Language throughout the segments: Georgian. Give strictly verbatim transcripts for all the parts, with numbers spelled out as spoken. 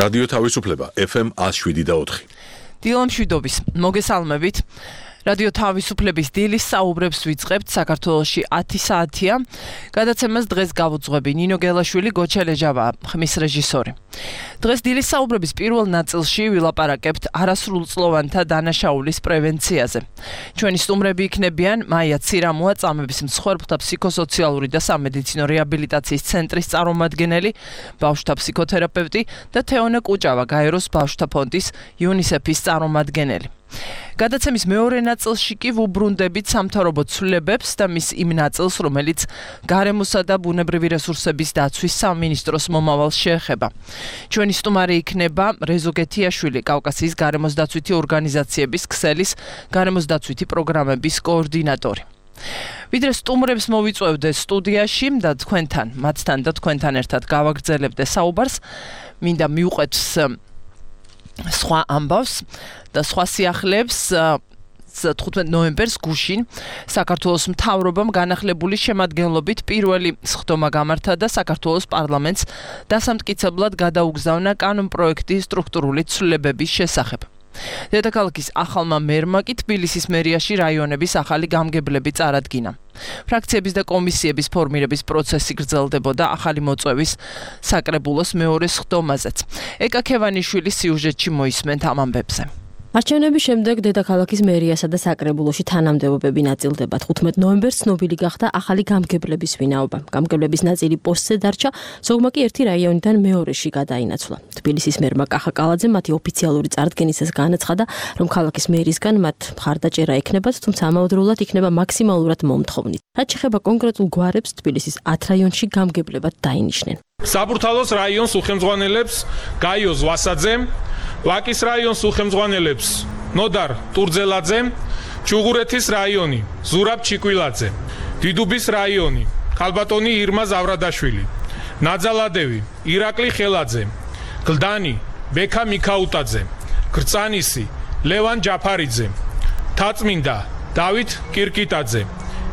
რადიო თავისუფლება ეფ ემ one oh seven და four. დილამშვიდობის მოგესალმებით. რადიო თავისუფლების დილის საუბრებს ვიწყებთ. საქართველოში ათი საათია. გადაცემას დღეს გავუძღვები ნინო გელაშვილი, გოჩა ლეჟავა, ხმის რეჟისორი. დღეს დილის საუბრების პირველ ნაწილში ვილაპარაკებთ არასრულწლოვანთა დანაშაულის პრევენციაზე. ჩვენი სტუმრები იქნებიან მაია ცირამოა, წამების მსხვერპლთა ფსიქოსოციალური და სამედიცინო რეაბილიტაციის ცენტრის წარმომადგენელი, ბავშვთა ფსიქოთერაპევტი და თეონა კუჭავა, გაეროს ბავშვთა ფონდის იუნისეფის წარმომადგენელი. გადაცემის მეორე ნაწილში კი ვუბრუნდებით სამთავრობო ცვლილებებს და მის იმ ნაწილს, რომელიც გარემოსა და ბუნებრივი რესურსების დაცვის სამინისტროს მომავალს შეეხება. ჩვენი სტუმარი იქნება რეზო გეთიაშვილი, კავკასიის გარემოსდაცვითი ორგანიზაციების ქსელის გარემოსდაცვითი პროგრამების კოორდინატორი. ვიდრე სტუმრებს მოვიწვევდე სტუდიაში და თქვენთან, მათთან და თქვენთან ერთად გავაგრძელებდე საუბარს, მინდა მივყვეთ სხვა ამბავს და სხვა სიახლეებს. თხუთმეტ ნოემბერს გუშინ საქართველოს მთავრობამ განახლებული შემადგენლობით პირველი სხდომა გამართა და საქართველოს პარლამენტს დასამტკიცებლად გადაუგზავნა კანონპროექტი სტრუქტურული ცვლილებების შესახებ. დედაქალაქის ახალმა მერმა კი თბილისის მერიაში რაიონების ახალი გამგებლები წარადგინა. ფრაქციების და კომისიების ფორმირების პროცესი გრძელდებოდა ახალი მოწვევის საკრებულოს მეორე სხდომაზეც. ეკა ქევანიშვილის სიუჟეტში მოისმენთ ამ ამბებზე. არჩევნების შემდეგ დედაქალაქის მერიასა და საკრებულოში თანამდებობები ნაწილდება. თხუთმეტ ნოემბერს ცნობილი გახდა ახალი გამგებლების ვინაობა. გამგებლების ნაწილი პოსტზე დარჩა, ზოგმა კი ერთი რაიონიდან მეორეში გადაინაცვლა. თბილისის მერმა კახა კალაძე მათი ოფიციალური წარდგენისას განაცხადა, რომ ქალაქის მერისგან მათ მხარდაჭერა ექნებათ, თუმცა ამავდროულად იქნება მაქსიმალურად მომთხოვნით. რაც შეეხება კონკრეტულ გვარებს, თბილისის ათ რაიონში გამგებლებად დაინიშნენ. საბურთალოს რაიონს უხელმძღვანელებს გაიოს ვასაძემ, ვაკის რაიონს უხელმძღვანელებს ნოდარ ტურძელაძემ, ჩუღურეთის რაიონი ზურაბ ჩიკვილაძე, დიდუბის რაიონი ქალბატონი ირმა ზავრადაშვილი, ნაძალადევი ირაკლი ხელაძე, გლდანი ბექა მიქაუტაძე, გრწანისი ლევან ჯაფარიძე, თაწმინდა დავით კირკიტაძე,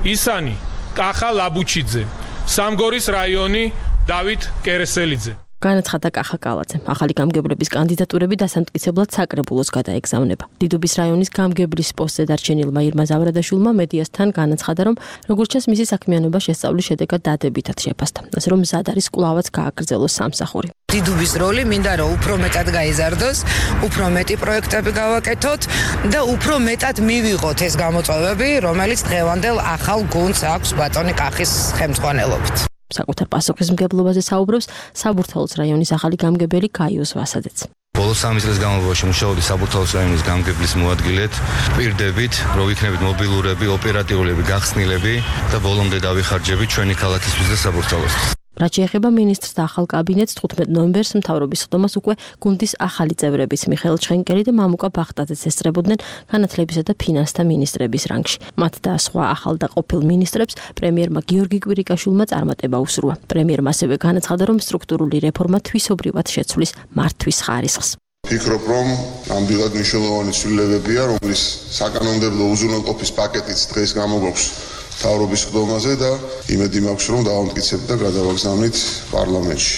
ისანი კახა ლაბუჩიძე, სამგორის რაიონი დავით კერესელიძე. განაცხადა კახა კალაძე. ახალი გამგებლების კანდიდატურები დასამტკიცებლად საკრებულოს გადაეგზავნება. დიდუბის რაიონის გამგებლის პოსტზე დარჩენილმა ირმა ზავრადაშვილმა მედიასთან განაცხადა, რომ როგორც ჩანს მისი საქმიანობა შესწავლის შედეგად დადებითად შეფასდა. ასე რომ მზად არის კვლავაც გააგრძელოს სამსახური. დიდუბის როლი მინდა რომ უფრო მეტად გაიზარდოს, უფრო მეტი პროექტები გავაკეთოთ და უფრო მეტად მივიღოთ ეს გამოწვევები, რომელიც დღევანდელ ახალ გუნდს აქვს ბატონი კახის ხელმძღვანელობით. საკუთარ პასუხისმგებლობაზე საუბრობს საბურთალოს რაიონის ახალი გამგებელი გაიოს ვასაძეც. ბოლო სამი წლის განმავლობაში მუშაობდი საბურთალოს რაიონის გამგებლის მოადგილედ, პირდებით, რომ იქნებით მობილურები, ოპერატიულები, გახსნილები და ბოლომდე დავიხარჯებით ჩვენი ქალაქისთვის და საბურთალოსთვის. რაც შეეხება მინისტრს და ახალ კაბინეტს, თხუთმეტ ნოემბერს მთავრობის სხდომას უკვე გუნდის ახალი წევრების მიხეილ ჩხენკელი და მამუკა ბახტაძეც ესწრებოდნენ განათლებისა და ფინანსთა მინისტრების რანგში. მათ და სხვა ახალ და ყოფილ მინისტრებს პრემიერმა გიორგი კვირიკაშვილმა წარმატება უსურვა. პრემიერმა ასევე განაცხადა, რომ სტრუქტურული რეფორმა თვისობრივად შეცვლის მართვის ხარისხს. ფიქრობ, რომ ნამდვილად მნიშვნელოვანი ცვლილებებია, რომლის საკანონმდებლო უზრუნველყოფის პაკეტიც დღეს გამოგვაქვს თავრობის სხდომაზე და იმედი მაქვს, რომ დავამტკიცებთ და გადავაგზავნით პარლამენტში.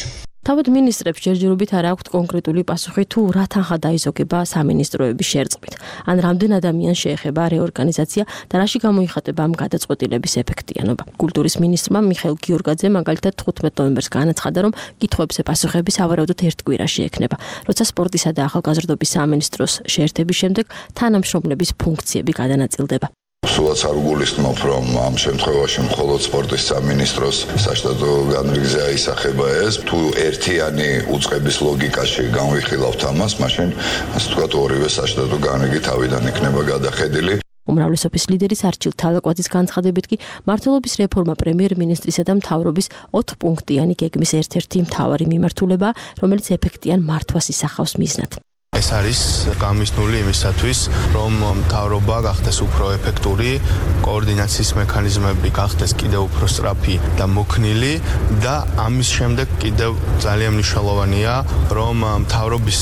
თავად მინისტრებს ჯერჯერობით არ აქვთ კონკრეტული პასუხი თუ რა თანხა დაიზოგება სამინისტროების შერწყმით. ან რამდენ ადამიანს შეეხება რეორგანიზაცია და რაში გამოიხატება ამ გადაწყვეტილების ეფექტიანობა. კულტურის მინისტრმა მიხეილ გიორგაძე მაგალითად თხუთმეტ ნოემბერს განაცხადა, რომ კითხვებზე პასუხები სავარაუდოდ ერთ კვირაში ექნება, როცა სპორტისა და ახალგაზრდობის სამინისტროს შეერთების შემდეგ თანამშრომლების ფუნქციები გადანაწილდება. სულაც არ გულისხმობ, რომ ამ შემთხვევაში მხოლოდ სპორტის სამინისტროს საშტატო განრიგზე აისახება ეს. თუ ერთიანი უწყების ლოგიკაში განვიხილავთ ამას, მაშინ ასე ვთქვათ, ორივე საშტატო განრიგი თავიდან იქნება გადახედილი. უმრავლესობის ლიდერის არჩილ თალაკვაძის განცხადებით კი მმართველობის რეფორმა პრემიერ-მინისტრისა და მთავრობის ოთხპუნქტიანი გეგმის ერთ-ერთი მთავარი მიმართულებაა, რომელიც ეფექტიან მართვას ისახავს მიზნად. ეს არის გამიზნული იმისათვის, რომ მთავრობა გახდეს უფრო ეფექტური, კოორდინაციის მექანიზმები გახდეს კიდევ უფრო სწრაფი და მოქნილი და ამის შემდეგ კიდევ ძალიან მნიშვნელოვანია, რომ მთავრობის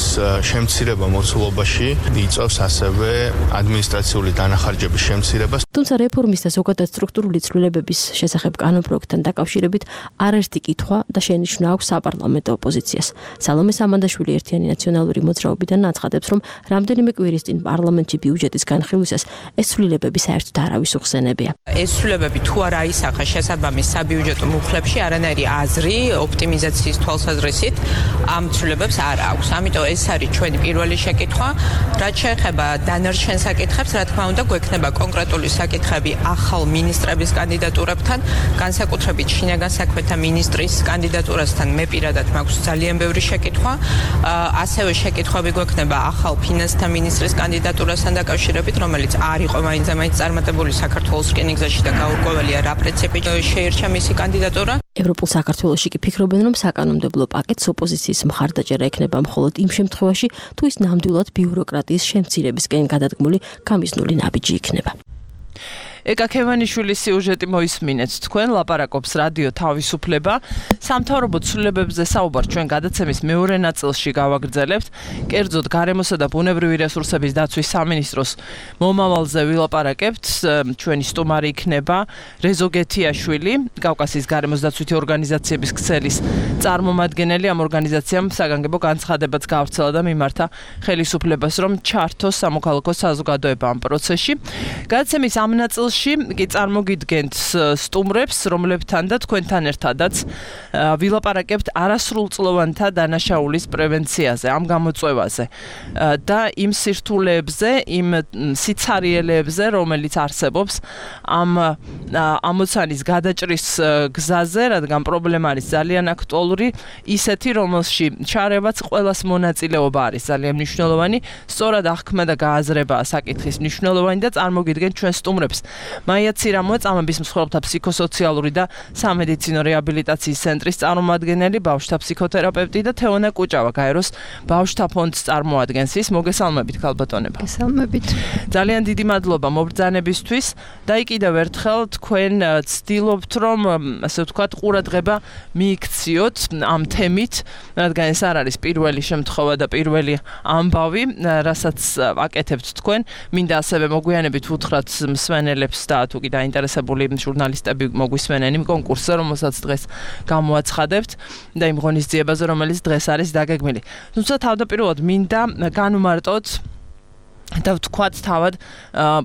შემცირება მოცულობაში იწვევს ასევე ადმინისტრაციული დანახარჯების შემცირებას. თუმცა რეფორმის და ზოგადად სტრუქტურული ცვლილებების შესახებ კანონპროექტთან დაკავშირებით არაერთი კითხვა და შენიშვნა აქვს საპარლამენტო ოპოზიციას. სალომე სამანდაშვილი ერთიანი ნაციონალური მოძრაობიდან აცხადებს, რომ რამდენიმე კვირის წინ პარლამენტში ბიუჯეტის განხილვისას ეს ცვლილებები საერთოდ არავის უხსენებია. ეს ცვლილებები თუ არა ისახა შესაბამის საბიუჯეტო მუხლებში, არანაირი აზრი ოპტიმიზაციის თვალსაზრისით ამ ცვლილებებს არ აქვს. ამიტომ ეს არის ჩვენი პირველი შეკითხვა. რაც შეეხება დანარჩენ საკითხებს, რა თქმა უნდა, გვექნება კონკრეტული საკითხები ახალ მინისტრების კანდიდატურებთან, განსაკუთრებით შინაგან საქმეთა მინისტრის კანდიდატურასთან მე პირადად მაქვს ძალიან ბევრი შეკითხვა. ასევე შეკითხვები გვექნება ახალ ფინანსთა მინისტრის კანდიდატურასთან დაკავშირებით, რომელიც არ იყო მაინც და მაინც წარმატებული საქართველოს რკინიგზაში და გაურკვეველია რა პრინციპით შეირჩა მისი კანდიდატურა. ევროპულ საქართველოში კი ფიქრობენ, რომ საკანონმდებლო პაკეტს ოპოზიციის მხარდაჭერა ექნება მხოლოდ იმ შემთხვევაში, თუ ის ნამდვილად ბიუროკრატიის შემცირებისკენ გადადგმული გამიზნული ნაბიჯი იქნება. ეკა ქევანიშვილის სიუჟეტი მოისმინეთ. თქვენ ლაპარაკობს რადიო თავისუფლება. სამთავრობო ცვლილებებზე საუბარ ჩვენ გადაცემის მეორე ნაწილში გავაგრძელებთ. კერძოდ გარემოსა და ბუნებრივი რესურსების დაცვის სამინისტროს მომავალზე ვილაპარაკებთ. ჩვენი სტუმარი იქნება რეზო გეთიაშვილი, კავკასიის გარემოს დაცვითი ორგანიზაციების ქსელის წარმომადგენელი. ამ ორგანიზაციამ საგანგებო განცხადებაც გაავრცელა და მიმართა ხელისუფლებას, რომ ჩართოს სამოქალაქო საზოგადოება ამ პროცესში. გადაცემის ამ ნაწილში კი წარმოგიდგენთ სტუმრებს, რომლებთან და თქვენთან ერთადაც ვილაპარაკებთ არასრულწლოვანთა დანაშაულის პრევენციაზე, ამ გამოწვევაზე და იმ სირთულეებზე, იმ სიცარიელეებზე, რომელიც არსებობს ამ ამოცანის გადაჭრის გზაზე, რადგან პრობლემა არის ძალიან აქტუალური, ისეთი, რომელში ჩარევაც ყველას მონაწილეობა არის ძალიან მნიშვნელოვანი, სწორად აღქმა და გააზრებაა საკითხის მნიშვნელოვანი და წარმოგიდგენთ ჩვენ სტუმრებს. მაია ცირამოა, წამების მსხვერპლთა ფსიქოსოციალური და სამედიცინო რეაბილიტაციის ცენტრის წარმომადგენელი, ბავშვთა ფსიქოთერაპევტი და თეონა კუჭავა, გაეროს ბავშვთა ფონდს წარმოადგენს. ის მოგესალმებით, ქალბატონებო. გესალმებით. ძალიან დიდი მადლობა მობრძანებისთვის და კიდევ ერთხელ თქვენ ცდილობთ, რომ ასე ვთქვათ, ყურადღება მიიქციოთ ამ თემით, რადგან ეს არ არის პირველი შემთხვევა და პირველი ამბავი, რასაც აკეთებთ თქვენ. მინდა ასევე მოგვიანებით უთხრათ მსმენელებს და თუ კი დაინტერესებული ჟურნალისტები მოგვისმენენ იმ კონკურსზე, რომელსაც დღეს გამოაცხადებთ და იმ ღონისძიებაზე, რომელიც დღეს არის დაგეგმილი. თუმცა თავდაპირველად მინდა განვმარტოთ და ვთქვათ თავად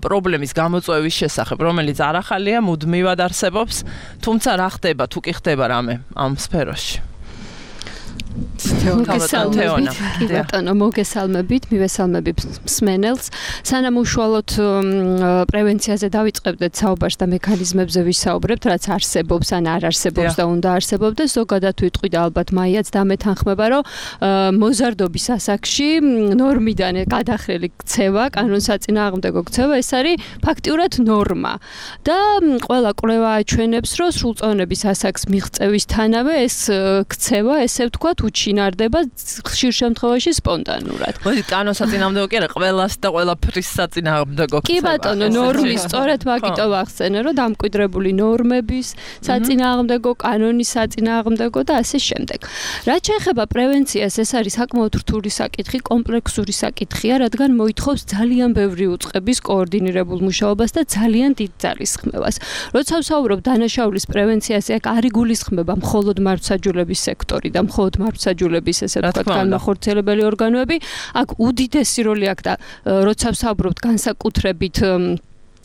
პრობლემის გამოწვევის შესახებ, რომელიც არ ახალია, მუდმივად არსებობს, თუმცა რა ხდება, თუ კი ხდება რამე ამ სფეროში. მოგესალმებით, კი ბატონო, მოგესალმებით, მივესალმებით მსმენელს. სანამ უშუალოდ პრევენციაზე დავიწყებდეთ საუბარს და მექანიზმებზე ვისაუბრებთ, რაც არსებობს ან არ არსებობს და უნდა არსებობდეს, ზოგადად ვიტყვი და ალბათ მაიაც დამეთანხმება, რომ მოზარდობის ასაკში ნორმიდან გადახრილი ქცევა, კანონსაწინააღმდეგო ქცევა, ეს არის ფაქტიურად ნორმა. და ყველა კვლევა აჩვენებს, რომ სრულწლოვნების ასაკს მიღწევისთანავე ეს ქცევა, ესე ვთქვათ, უჩინარდება ხშირ შემთხვევაში სპონტანურად. მოდი კანონსაწინააღმდეგო კი არა, ყველას და ყველაფრის საწინააღმდეგო ქცევა. კი ბატონო, ნორმის სწორედ მაგიტო ვახსენე, რომ დამკვიდრებული ნორმების საწინააღმდეგო, კანონის საწინააღმდეგო და ასე შემდეგ. რაც შეეხება პრევენციას, ეს არის საკმაოდ რთული საკითხი, კომპლექსური საკითხია, რადგან მოითხოვს ძალიან ბევრი უწყების კოორდინირებულ მუშაობას და ძალიან დიდ ძალისხმევას. როცა ვსაუბრობ დანაშაულის პრევენციაზე, აქ არ იგულისხმება მხოლოდ მართლმსაჯულების სექტორი და მხოლოდ მართლმსაჯულების ესე ვთქვათ განმახორციელებელი ორგანოები, აქ უდიდესი როლი აქვს და როცა ვსაუბრობთ განსაკუთრებით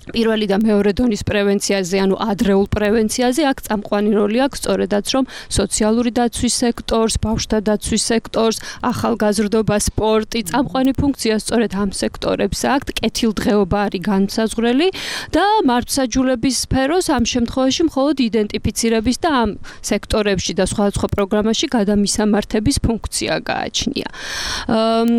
პირველი და მეორე დონის პრევენციაზე, ანუ ადრეულ პრევენციაზე, აქ წამყვანი როლი აქვს სწორედაც რომ სოციალური დაცვის სექტორს, ბავშვთა დაცვის სექტორს, ახალგაზრდობა, სპორტი, წამყვანი ფუნქცია სწორედ ამ სექტორებს აქვს, კეთილდღეობა არის განსაზღვრელი და მართლმსაჯულების სფეროს ამ შემთხვევაში მხოლოდ იდენტიფიცირების და ამ სექტორებში და სხვადასხვა პროგრამაში გადამისამართების ფუნქცია გააჩნია.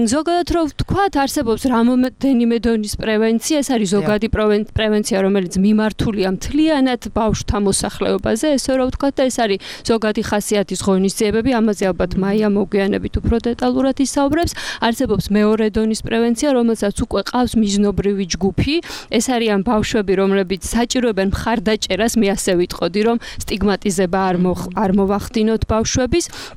ზოგადად რომ ვთქვათ, არსებობს რამოდენიმე დონის პრევენცია, ეს არის ზოგადი პრევენცია პრევენცია, რომელიც მიმართულია მთლიანად ბავშვთა მოსახლეობაზე, ესე რომ ვთქვათ, და ეს არის ზოგადი ხასიათის ღონისძიებები, ამაზე ალბათ მაია მოგვიანებით უფრო დეტალურად ისაუბრებს. არსებობს მეორე დონის პრევენცია, რომელსაც უკვე ყავს მიზნობრივი ჯგუფი, ეს არიან ბავშვები, რომლებიც საჭიროებენ მხარდაჭერას, მე ასე ვიტყოდი, რომ სტიგმატიზება არ არ მოვახდინოთ ბავშვების.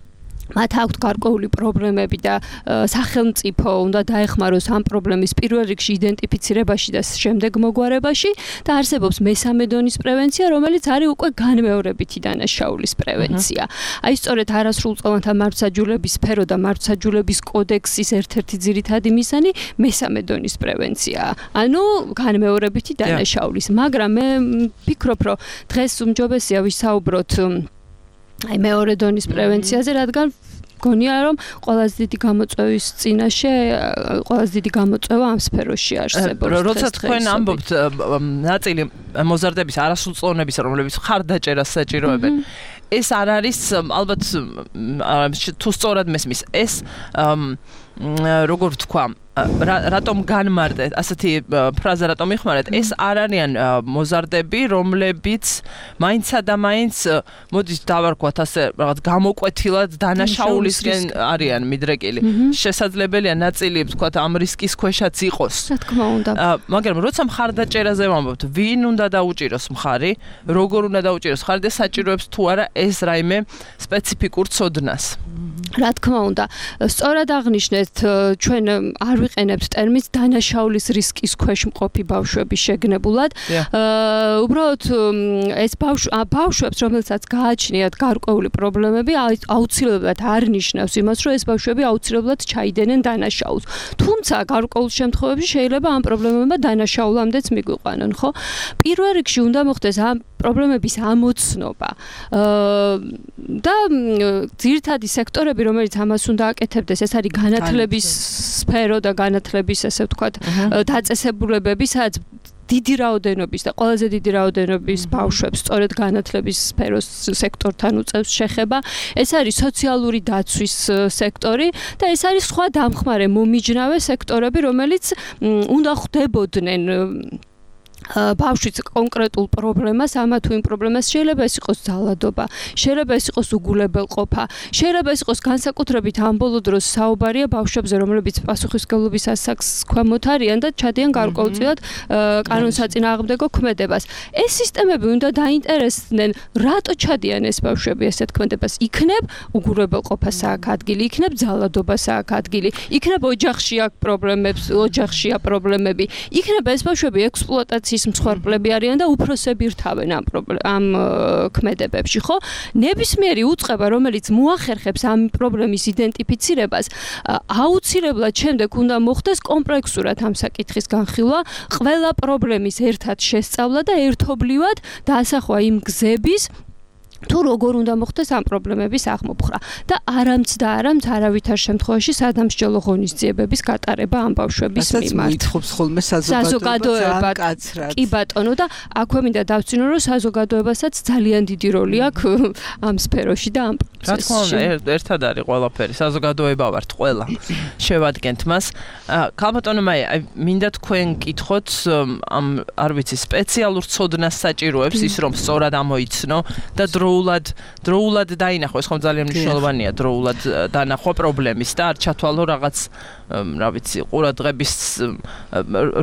მათ აქვთ გარკვეული პრობლემები და სახელმწიფო უნდა დაეხმაროს ამ პრობლემის პირველ რიგში იდენტიფიცირებაში და შემდეგ მოგვარებაში და არსებობს მესამე დონის პრევენცია, რომელიც არის უკვე განმეორებითი დანაშაულის პრევენცია. აი სწორედ არასრულწლოვანთა მართლმსაჯულების სფერო და მართლმსაჯულების კოდექსის ერთ-ერთი ძირითადი მიზანი მესამე დონის პრევენციაა. ანუ განმეორებითი დანაშაულის, მაგრამ მე ვფიქრობ, რომ დღეს უმჯობესია ვისაუბროთ აი მეორე დონის პრევენციაზე, რადგან გონია რომ ყველაზე დიდი გამოწვევის წინაშე ყველაზე დიდი გამოწვევა ამ სფეროში არსებობს. როცა თქვენ ამბობთ ნაწილი მოზარდების არასრულწლოვნების, რომლებიც მხარდაჭერას საჭიროებენ, ეს არ არის ალბათ თუ სწორად მესმის, ეს როგორ ვთქვა, რატომ განმარტეთ, ასეთი ფრაზა რატომ იხმარეთ, ეს არ არიან მოზარდები, რომლებიც მაინცსა და მაინც მოდით დავარქვათ ასე რაღაც გამოკვეთილად დანაშაულისკენ არიან მიდრეკილი. შესაძლებელია ნაწილი ვთქვათ ამ რისკის ქვეშაც იყოს. რა თქმა უნდა. მაგრამ როცა მხარდაჭერაზე ვამბობთ, ვინ უნდა დაუჭიროს მხარი, როგორ უნდა დაუჭიროს მხარი და საჭიროებს თუ არა ეს რაიმე სპეციფიკურ ცოდნას. რა თქმა უნდა, სწორად აღნიშნეთ, ჩვენ არ ვიყენებთ ტერმინს დანაშაულის რისკის ქვეშ მყოფი ბავშვების შეგნებულად. უბრალოდ ეს ბავშვებს, რომელსაც გააჩნიათ გარკვეული პრობლემები, აუცილებლად არ ნიშნავს იმას, რომ ეს ბავშვები აუცილებლად ჩაიდენენ დანაშაულს. თუმცა გარკვეულ შემთხვევებში შეიძლება ამ პრობლემებმა დანაშაულამდეც მიგვიყვანონ, ხო? პირველ რიგში უნდა მოხდეს ამ პრობლემების ამოცნობა. და ძირითადი სექტორები, რომელიც ამას უნდა აკეთებდეს, ეს არის განათლების სფერო და განათლების, ესე ვთქვათ, დაწესებულებები, სადაც დიდი რაოდენობის და ყველაზე დიდი რაოდენობის ბავშვებს სწორედ განათლების სფეროს სექტორთან უწევს შეხება. ეს არის სოციალური დაცვის სექტორი და ეს არის სხვა დამხმარე მომიჯნავე სექტორები, რომელიც უნდა ხვდებოდნენ ბავშვის კონკრეტულ პრობლემას, ამა თუ იმ პრობლემას, შეიძლება ეს იყოს ძალადობა, შეიძლება ეს იყოს უგულებელყოფა, შეიძლება ეს იყოს განსაკუთრებით ამ ბოლო დროს საუბარია ბავშვებზე, რომლებიც პასუხისმგებლობის ასაკს ქვემოთ არიან და ჩადიან გარკვეულწილად კანონსაწინააღმდეგო ქმედებას. ეს სისტემები უნდა დაინტერესდნენ, რატო ჩადიან ეს ბავშვები ესეთ ქმედებას? იქნებ უგულებელყოფას აქ ადგილი, იქნებ ძალადობას აქ ადგილი, იქნებ ოჯახში აქ პრობლემებს, ოჯახშია პრობლემები, იქნებ ეს ბავშვები ექსპლუატაციის მსხვერპლები არიან და უფროსები რთავენ ამ ამ ქმედებებში, ხო? ნებისმიერი უწყება, რომელიც მოახერხებს ამ პრობლემის იდენტიფიცირებას, აუცილებლად შემდეგ უნდა მოხდეს კომპლექსურად ამ საკითხის განხილვა, ყველა პრობლემის ერთად შესწავლა და ერთობლივად დაასახვა იმ გზების თუ როგორ უნდა მოხდეს ამ პრობლემების აღმოფხვრა და არამც და არამც არავითარ შემთხვევაში სადამსჯელო ღონისძიებების გატარება ამ ბავშვების მიმართ. მითხოვს ხოლმე საზოგადოება კაცრად. კი ბატონო და აქვე მინდა დავწინო, რომ საზოგადოებასაც ძალიან დიდი როლი აქვს ამ სფეროში და ამ პროცესში. რა თქმა უნდა, ერთად არის ყველაფერი, საზოგადოება ვართ ყველა. შევადგენთ მას. ქალბატონო მაია, მინდა თქვენ კითხოთ ამ არ ვიცი სპეციალურ ცოდნას საჭიროებს ის რომ სწორად ამოიცნო და დროულად დროულად დაინახოს, ხომ ძალიან მნიშვნელოვანია დროულად დანახვა პრობლემის და არ ჩათვალო რაღაც რა ვიცი ყურადღების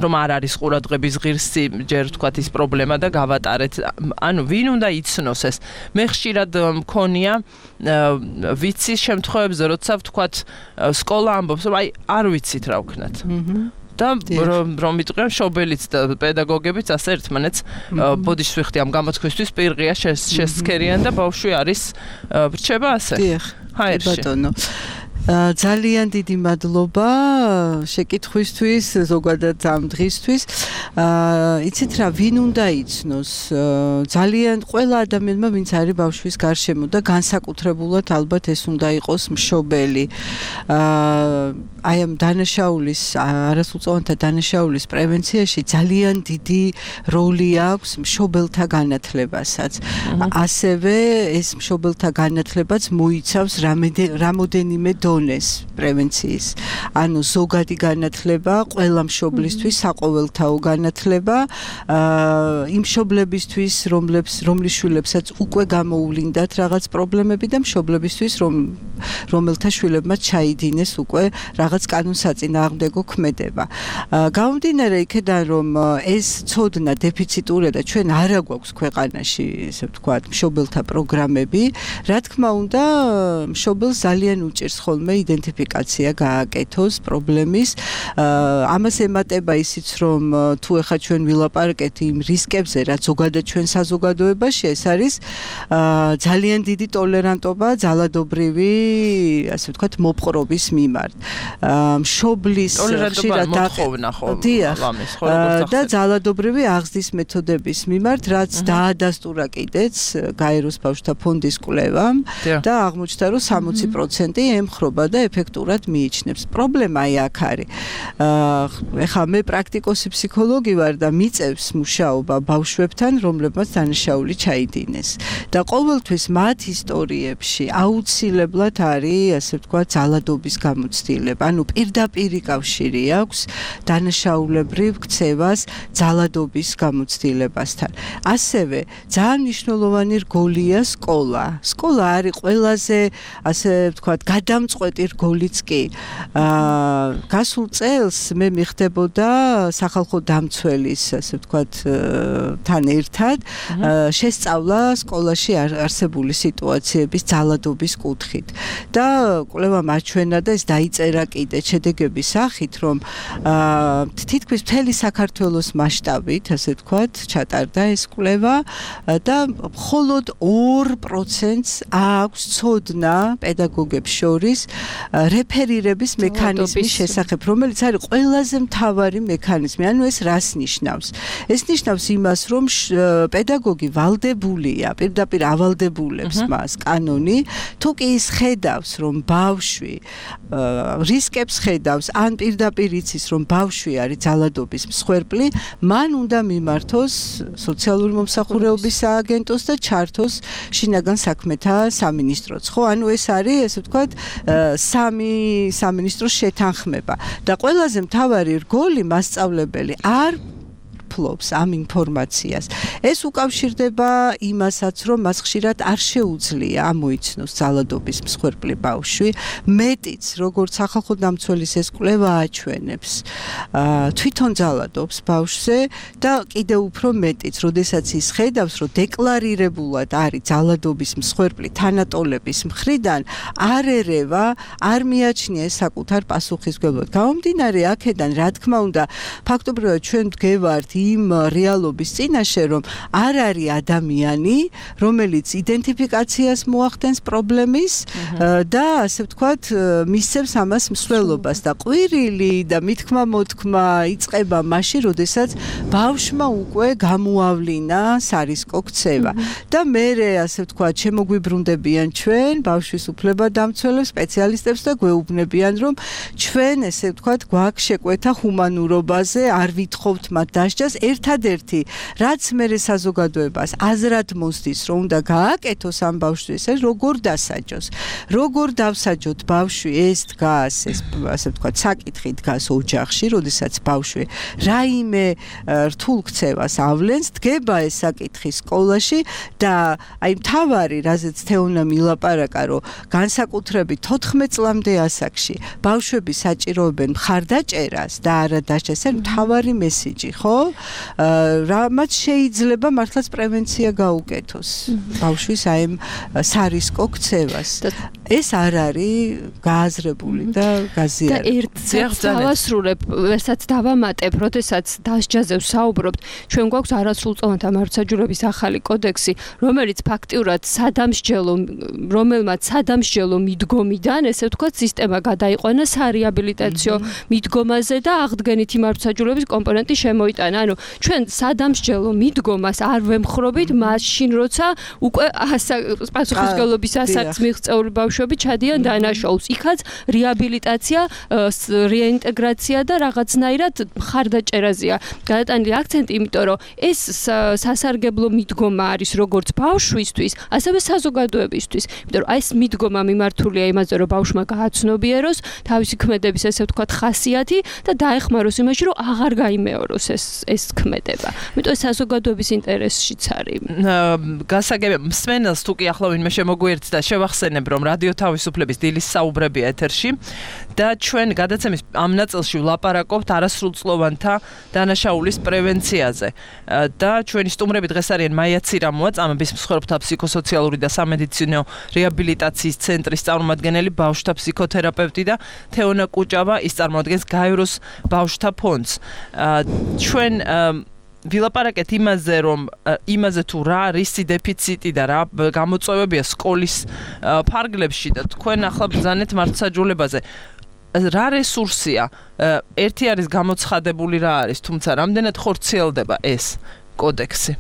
რომ არ არის ყურადღების ღირსი ჯერ თქვათ ის პრობლემა და გავატარეთ. ანუ ვინ უნდა იცნოს ეს? მე ხშირად მქონია ვიცი შემთხვევებზე, როცა ვთქვათ სკოლა ამბობს, რომ აი არ ვიცით რა ვქნათ. და რომ მიტყვიან შობელიც და პედაგოგებიც ასე ერთმანეთს ბოდიშს ვიხდი ამ გამოთქვისთვის პირღია შესცქერიან და ბავშვი არის ბრჩება ასე. დიახ. ბატონო. ძალიან დიდი მადლობა შეკითხვისთვის, ზოგადად ამ დღისთვის. იცით რა, ვინ უნდა იცნოს? ძალიან ყველა ადამიანმა, ვინც არის ბავშვის გარშემო და განსაკუთრებულად ალბათ ეს უნდა იყოს მშობელი. აი ამ დანაშაულის, არასრულწლოვანთა დანაშაულის პრევენციაში ძალიან დიდი როლი აქვს მშობელთა განათლებასაც. ასევე ეს მშობელთა განათლებაც მოიცავს რამოდენიმე დონე. დონეს პრევენციის. ანუ ზოგადი განათლება ყველა მშობლისთვის საყოველთაო განათლება იმ მშობლებისთვის, რომლებს რომლის შვილებსაც უკვე გამოუვლინდათ რაღაც პრობლემები და მშობლებისთვის, რომ რომელთა შვილებმა ჩაიდინეს უკვე რაღაც კანონსაწინააღმდეგო ქმედება. გამომდინარე იქედან, რომ ეს ცოდნა დეფიციტურია და ჩვენ არ აგვაქვს ქვეყანაში, ესე ვთქვათ, მშობელთა პროგრამები, რა თქმა უნდა, მშობელს ძალიან უჭირს ხოლმე იდენტიფიკაცია გააკეთოს პრობლემის. ამას ემატება ისიც, რომ თუ ეხა ჩვენ ვილაპარაკეთ იმ რისკებზე, რაც ზოგადად ჩვენ საზოგადოებაში, ეს არის ძალიან დიდი ტოლერანტობა ძალადობრივი, ასე ვთქვათ, მოპყრობის მიმართ. მშობლის ხშირად მოთხოვნა ხოლმე ამის, და ძალადობრივი აღზრდის მეთოდების მიმართ, რაც დაადასტურა კიდეც გაეროს ბავშვთა ფონდის კვლევამ და აღმოჩნდა, რომ სამოცი პროცენტი ემხრობა და ეფექტურად მიიჩნევს. პრობლემა აი აქ არის. ეხლა მე პრაქტიკოსი ფსიქოლოგი ვარ და მიწევს მუშაობა ბავშვებთან, რომლებმაც დანაშაული ჩაიდინეს. და ყოველთვის მათ ისტორიებში აუცილებლად არის, ასე ვთქვათ, ძალადობის გამოცდილება. ანუ პირდაპირი კავშირი აქვს დანაშაულებრივ ქცევას ძალადობის გამოცდილებასთან. ასევე ძალიან მნიშვნელოვანი რგოლია სკოლა. სკოლა არის ყველაზე, ასე ვთქვათ, გადამწყვეტი რგოლიც კი. აა გასულ წელს მე მიხდებოდა სახალხო დამცველის, ასე ვთქვათ, თან ერთად შესწავლა სკოლაში არსებული სიტუაციების ძალადობის კუთხით. და კვლევა მაჩვენა და ეს დაიწერა კიდე შედეგების სახით, რომ აა თითქმის მთელი საქართველოს მასშტაბით, ასე ვთქვათ, ჩატარდა ეს კვლევა და მხოლოდ ორ პროცენტს აქვს ცოდნა პედაგოგებს შორის რეფერირების მექანიზმის შესახებ, რომელიც არის ყველაზე მთავარი მექანიზმი. ანუ ეს რას ნიშნავს? ეს ნიშნავს იმას, რომ პედაგოგი ვალდებულია, პირდაპირ ავალდებულებს მას კანონი, თუ კი ის ხედავს, რომ ბავშვი რისკებს ხედავს, ან პირდაპირ იცის, რომ ბავშვი არის ძალადობის მსხვერპლი, მან უნდა მიმართოს სოციალური მომსახურეობის სააგენტოს და ჩართოს შინაგან საქმეთა სამინისტროც. ხო, ანუ ეს არის, ესე ვთქვათ, სამი სამინისტროს შეთანხმება. და ყველაზე მთავარი რგოლი მასწავლებელი არ ფლობს ამ ინფორმაციას. ეს უკავშირდება იმასაც, რომ მას ხშირად არ შეუძლია ამოიცნოს ძალადობის მსხვერპლი ბავშვი. მეტიც, როგორც სახალხო დამცველის ეს კვლევა აჩვენებს, თვითონ ძალადობს ბავშვზე და კიდევ უფრო მეტიც, როდესაც ის ხედავს, რომ დეკლარირებულად არის ძალადობის მსხვერპლი თანატოლების მხრიდან, არ ერევა, არ მიაჩნია საკუთარ პასუხისმგებლად. გამომდინარე აქედან, რა თქმა უნდა, ფაქტობრივად ჩვენ ვდგევართ იმ რეალობის წინაშე, რომ არ არის ადამიანი, რომელიც იდენტიფიკაციას მოახდენს პრობლემის და ასე ვთქვათ, მისცემს ამას მსვლელობას და ყვირილი და მithქმა მოთქმა იწყება მაშინ, როდესაც ბავშვმა უკვე გამოავლინა სარისკო ქცევა. და მერე, ასე ვთქვათ, შემოგვიბრუნდებიან ჩვენ, ბავშვის უფლებადამცველებს, სპეციალისტებს და გვეუბნებიან, რომ ჩვენ, ესე ვთქვათ, გვაქვს შეკვეთა ჰუმანურობაზე, არ ვითხოვთ მათ დასჯას. ერთადერთი, რაც მერე საზოგადოებას აზრად მოსდის, რომ უნდა გააკეთოს ამ ბავშვის, ეს როგორ დასაჯოს. როგორ დავსაჯოთ ბავშვი, ეს დგას, ეს ასე ვთქვათ, საკითხი დგას ოჯახში, როდესაც ბავშვი რაიმე რთულ ქცევას ავლენს, დგება ეს საკითხი სკოლაში და აი მთავარი, რაზეც თეონა მილაპარაკა, რომ განსაკუთრებით თოთხმეტ წლამდე ასაკში ბავშვები საჭიროებენ მხარდაჭერას და არა დასჯას, ეს მთავარი მესიჯი, ხო? რამაც შეიძლება მართლაც პრევენცია გაუკეთოს ბავშვის აი ამ სარისკო ქცევას. ეს არ არის გააზრებული და გაზიარებული. და ერთ დავასრულებ, ვერცად დავამატებ, როდესაც დასჯაზე ვსაუბრობთ, ჩვენ გვაქვს არასრულწლოვანთა მართლმსაჯულების ახალი კოდექსი, რომელიც ფაქტიურად სადამსჯელო, რომელმაც სადამსჯელო მიდგომიდან, ესე ვთქვათ, სისტემა გადაიყვანა სარეაბილიტაციო მიდგომაზე და აღდგენითი მართლმსაჯულების კომპონენტი შემოიტანა. ანუ ჩვენ სადამსჯელო მიდგომას არ ვემხრობით მაშინ როცა უკვე პასუხისმგებლობის ასაკს მიღწეული ბავშვები ჩადიან დანაშაულს. იქაც რეაბილიტაცია, რეინტეგრაცია და რაღაცნაირად მხარდაჭერაზეა გადატანილი აქცენტი, იმიტომ რომ ეს სასარგებლო მიდგომა არის როგორც ბავშვისთვის, ასევე საზოგადოებისთვის. იმიტომ რომ ეს მიდგომა მიმართულია იმაზე, რომ ბავშვმა გააცნობიეროს თავისი ქმედების ესე ვთქვათ ხასიათი და დაეხმაროს იმაში, რომ აღარ გაიმეოროს ეს ეს ქმედება. იმიტომ ეს საზოგადოების ინტერესშიც არის. გასაგები მსმენელს თუ კი ახლა ვინმე შემოგვიერთდა, შევახსენებ, რომ რადიო თავისუფლების დილის საუბრებია ეთერში და ჩვენ გადაცემის ამ ნაწილში ვლაპარაკობთ არასრულწლოვანთა დანაშაულის პრევენციაზე. და ჩვენი სტუმრები დღეს არიან მაია ცირამოა, წამების მსხვერპლთა ფსიქოსოციალური და სამედიცინო რეაბილიტაციის ცენტრის წარმომადგენელი, ბავშვთა ფსიქოთერაპევტი და თეონა კუჭავა, ის წარმოადგენს გაეროს ბავშვთა ფონდს. ჩვენ ვილაპარაკეთ იმაზე, რომ იმაზე თუ რა არის დეფიციტი და რა გამოწვევებია სკოლის ფარგლებში და თქვენ ახლა ბრძანეთ მართლმსაჯულებაზე. რა რესურსია? ერთი არის გამოცხადებული რა არის, თუმცა რამდენად ხორციელდება ეს კოდექსი?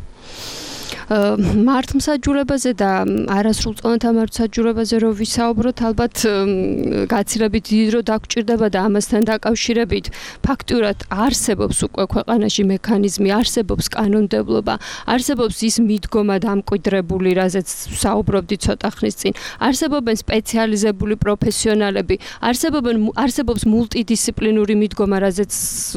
მართლმსაჯულებაზე და არასრულწლოვანთა მართლმსაჯულებაზე რო ვისაუბროთ, ალბათ გაცილებით დიდ დრო დაგვჭირდება და ამასთან დაკავშირებით ფაქტურად არსებობს უკვე ქვეყანაში მექანიზმი, არსებობს კანონმდებლობა, არსებობს ის მიდგომა დამკვიდრებული, რაზეც საუბრობდი ცოტა ხნის წინ, არსებობენ სპეციალიზებული პროფესიონალები, არსებობენ არსებობს მულტიდისციპლინური მიდგომა, რაზეც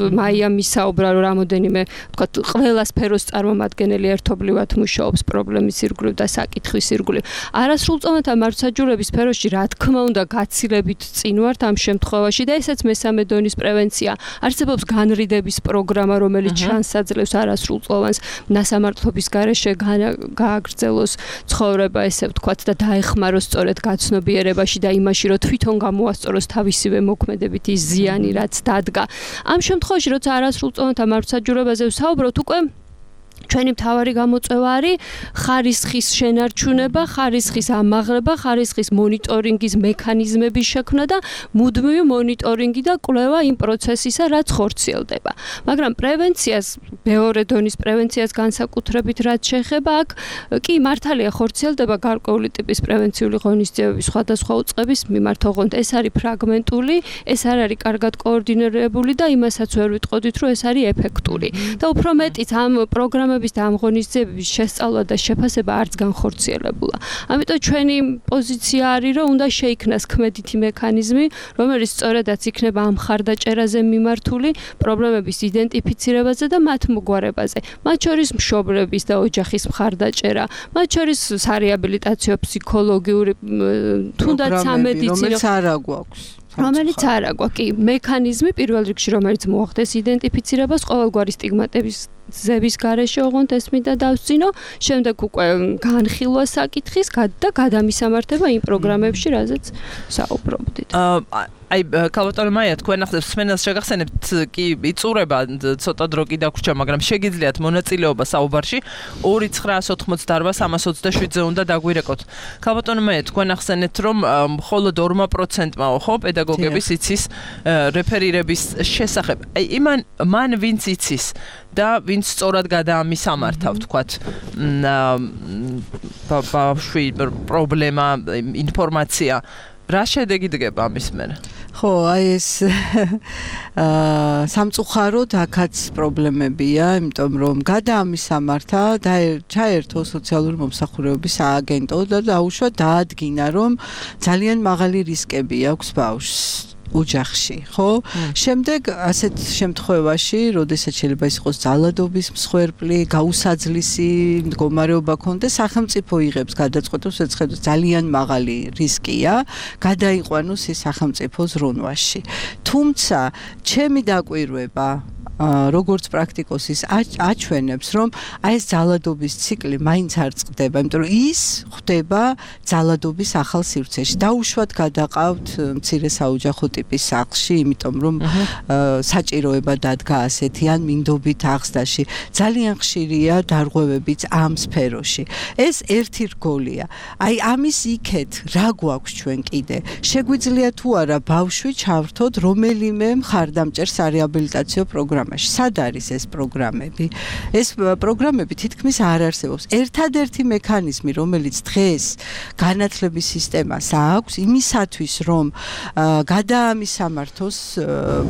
მაიამ ისაუბრა, რომ რამოდენიმე ვთქვათ ყველა სფეროს წარმომადგენელი ერთობლივად მუშაობს პრობლემის ირგვლივ და საკითხვის ირგვლივ. არასრულწლოვანთა მართლმსაჯულების სფეროში რა თქმა უნდა გაცილებით წინ ვართ ამ შემთხვევაში და ესაც მესამე დონის პრევენცია. არსებობს განრიდების პროგრამა, რომელიც ჩანსაძლევს არასრულწლოვანს ნასამართლობის გარეშე გააგრძელოს ცხოვრება, ესე ვთქვათ, და დაეხმაროს სწორედ გაცნობიერებაში და იმაში, რომ თვითონ გამოასწოროს თავისივე მოქმედებით ის ზიანი, რაც დადგა. ამ შემთხვევაში, როცა არასრულწლოვანთა მართლმსაჯულებაზე ვსაუბრობთ, უკვე ჩვენი მთავარი გამოწვევა არის ხარისხის შენარჩუნება, ხარისხის ამაღლება, ხარისხის მონიტორინგის მექანიზმების შექმნა და მუდმივი მონიტორინგი და კვლევა იმ პროცესისა, რაც ხორციელდება. მაგრამ პრევენციას, მეორე დონის პრევენციას განსაკუთრებით რაც შეეხება, აქ კი მართალია ხორციელდება გარკვეული ტიპის პრევენციული ღონისძიებები სხვადასხვა უწყების მიმართ, ოღონდ ეს არის ფრაგმენტული, ეს არ არის კარგად კოორდინირებული და იმასაც ვერ ვიტყოდით, რომ ეს არის ეფექტური. და უფრო მეტიც ამ პროგრამების და ამ ღონისძიებების შესწავლა და შეფასება არც განხორციელებულა. ამიტომ ჩვენი პოზიცია არის, რომ უნდა შეიქმნას ქმედითი მექანიზმი, რომელიც სწორედაც იქნება ამ მხარდაჭერაზე მიმართული პრობლემების იდენტიფიცირებაზე და მათ მოგვარებაზე. მათ შორის მშობლების და ოჯახის მხარდაჭერა, მათ შორის სარეაბილიტაციო ფსიქოლოგიური თუნდაც სამედიცინო რომელიც არ აგვაქვს. რომელიც არ აგვაქვს, კი, მექანიზმი პირველ რიგში, რომელიც მოახდეს იდენტიფიცირებას ყოველგვარი სტიგმატების ზების garaშე ოღონდ ეს მინდა დავსწინო, შემდეგ უკვე განხილვა საკითხის და გადამისამართება იმ პროგრამებში, რაზეც საუბრობდით. აი, ქალბატონო მაია, თქვენ ახლა მსმენელს შეგახსენებთ, კი, იწურება ცოტა დრო კი დაგვრჩა, მაგრამ შეგიძლიათ მონაწილეობა საუბარში ორი ცხრაას ოთხმოცდაარბა სამას ოცდაშვიდზე უნდა დაგვირეკოთ. ქალბატონო მაია, თქვენ ახსენეთ, რომ მხოლოდ ორი პროცენტმაო ხო პედაგოგების იცის რეფერირების შესახებ. აი, იმან მან ვინც იცის და ვინც სწორად გადაამისამართა, ვთქვათ, ბავშვი პრობლემა, ინფორმაცია რა შედეგი დგება ამის მერე? ხო, აი ეს აა სამწუხაროდ აქაც პრობლემებია, იმიტომ რომ გადაამისამართა და ჩაერთო სოციალური მომსახურების სააგენტო და დაუშვა დაადგინა, რომ ძალიან მაღალი რისკები აქვს ბავშვს ოჯახში, ხო? შემდეგ ასეთ შემთხვევაში, როდესაც შეიძლება ის იყოს ძალადობის მსხვერპლი, გაუსაძლისი მდგომარეობა ქონდეს, სახელმწიფო იღებს გადაწყვეტილებას, ეცხედოს ძალიან მაღალი რისკია, გადაიყვანოს ის სახელმწიფო ზრუნვაში. თუმცა, ჩემი დაკვირვება როგორც პრაქტიკოსის აჩვენებს, რომ აი ეს ძალადობის ციკლი მაინც არ წყდება, იმიტომ რომ ის ხდება ძალადობის ახალ სივრცეში. დაუშვათ გადაყავთ მცირე საოჯახო ტიპის ტიპის სახლში, იმიტომ რომ საჭიროება დადგა ასეთი ან მინდობით აღზრდაში. ძალიან ხშირია დარღვევებიც ამ სფეროში. ეს ერთი რგოლია. აი ამის იქეთ რა გვაქვს ჩვენ კიდე? შეგვიძლია თუ არა ბავშვი ჩავრთოთ რომელიმე მხარდამჭერ სარეაბილიტაციო პროგრამაში. სად არის ეს პროგრამები? ეს პროგრამები თითქმის არ არსებობს. ერთადერთი მექანიზმი, რომელიც დღეს განათლების სისტემას აქვს, იმისათვის, რომ გადაამისამართოს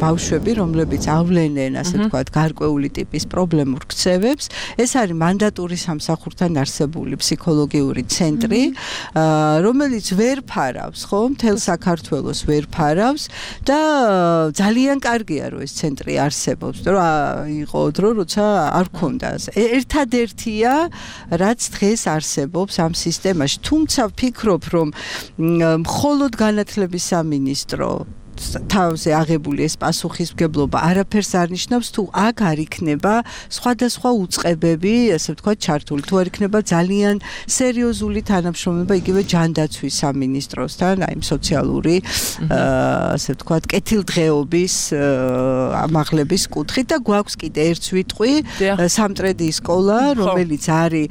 ბავშვები, რომლებიც ავლენენ, ასე ვთქვათ, გარკვეული ტიპის პრობლემურ ქცევებს, ეს არის მანდატური სამსახურთან არსებული ფსიქოლოგიური ცენტრი, რომელიც ვერ ფარავს, ხო, მთელ საქართველოს ვერ ფარავს და ძალიან კარგია, რომ ეს ცენტრი არსებობს, რომ იყო დრო, როცა არ ქონდა. ერთადერთია, რაც დღეს არსებობს ამ სისტემაში. თუმცა ვფიქრობ, რომ მხოლოდ განათლების სამინისტრო თავზე აღებული ეს პასუხისმგებლობა არაფერს არ ნიშნავს, თუ აქ არ იქნება სხვადასხვა უწყებები, ასე ვთქვათ, ჩართული, თუ არ იქნება ძალიან სერიოზული თანამშრომლობა იგივე ჯანდაცვის სამინისტროსთან, აი სოციალური, ასე ვთქვათ, კეთილდღეობის ამაღლების კუთხით და გვაქვს კიდე ერთ ვიტყვი, სამტრედიის სკოლა, რომელიც არის,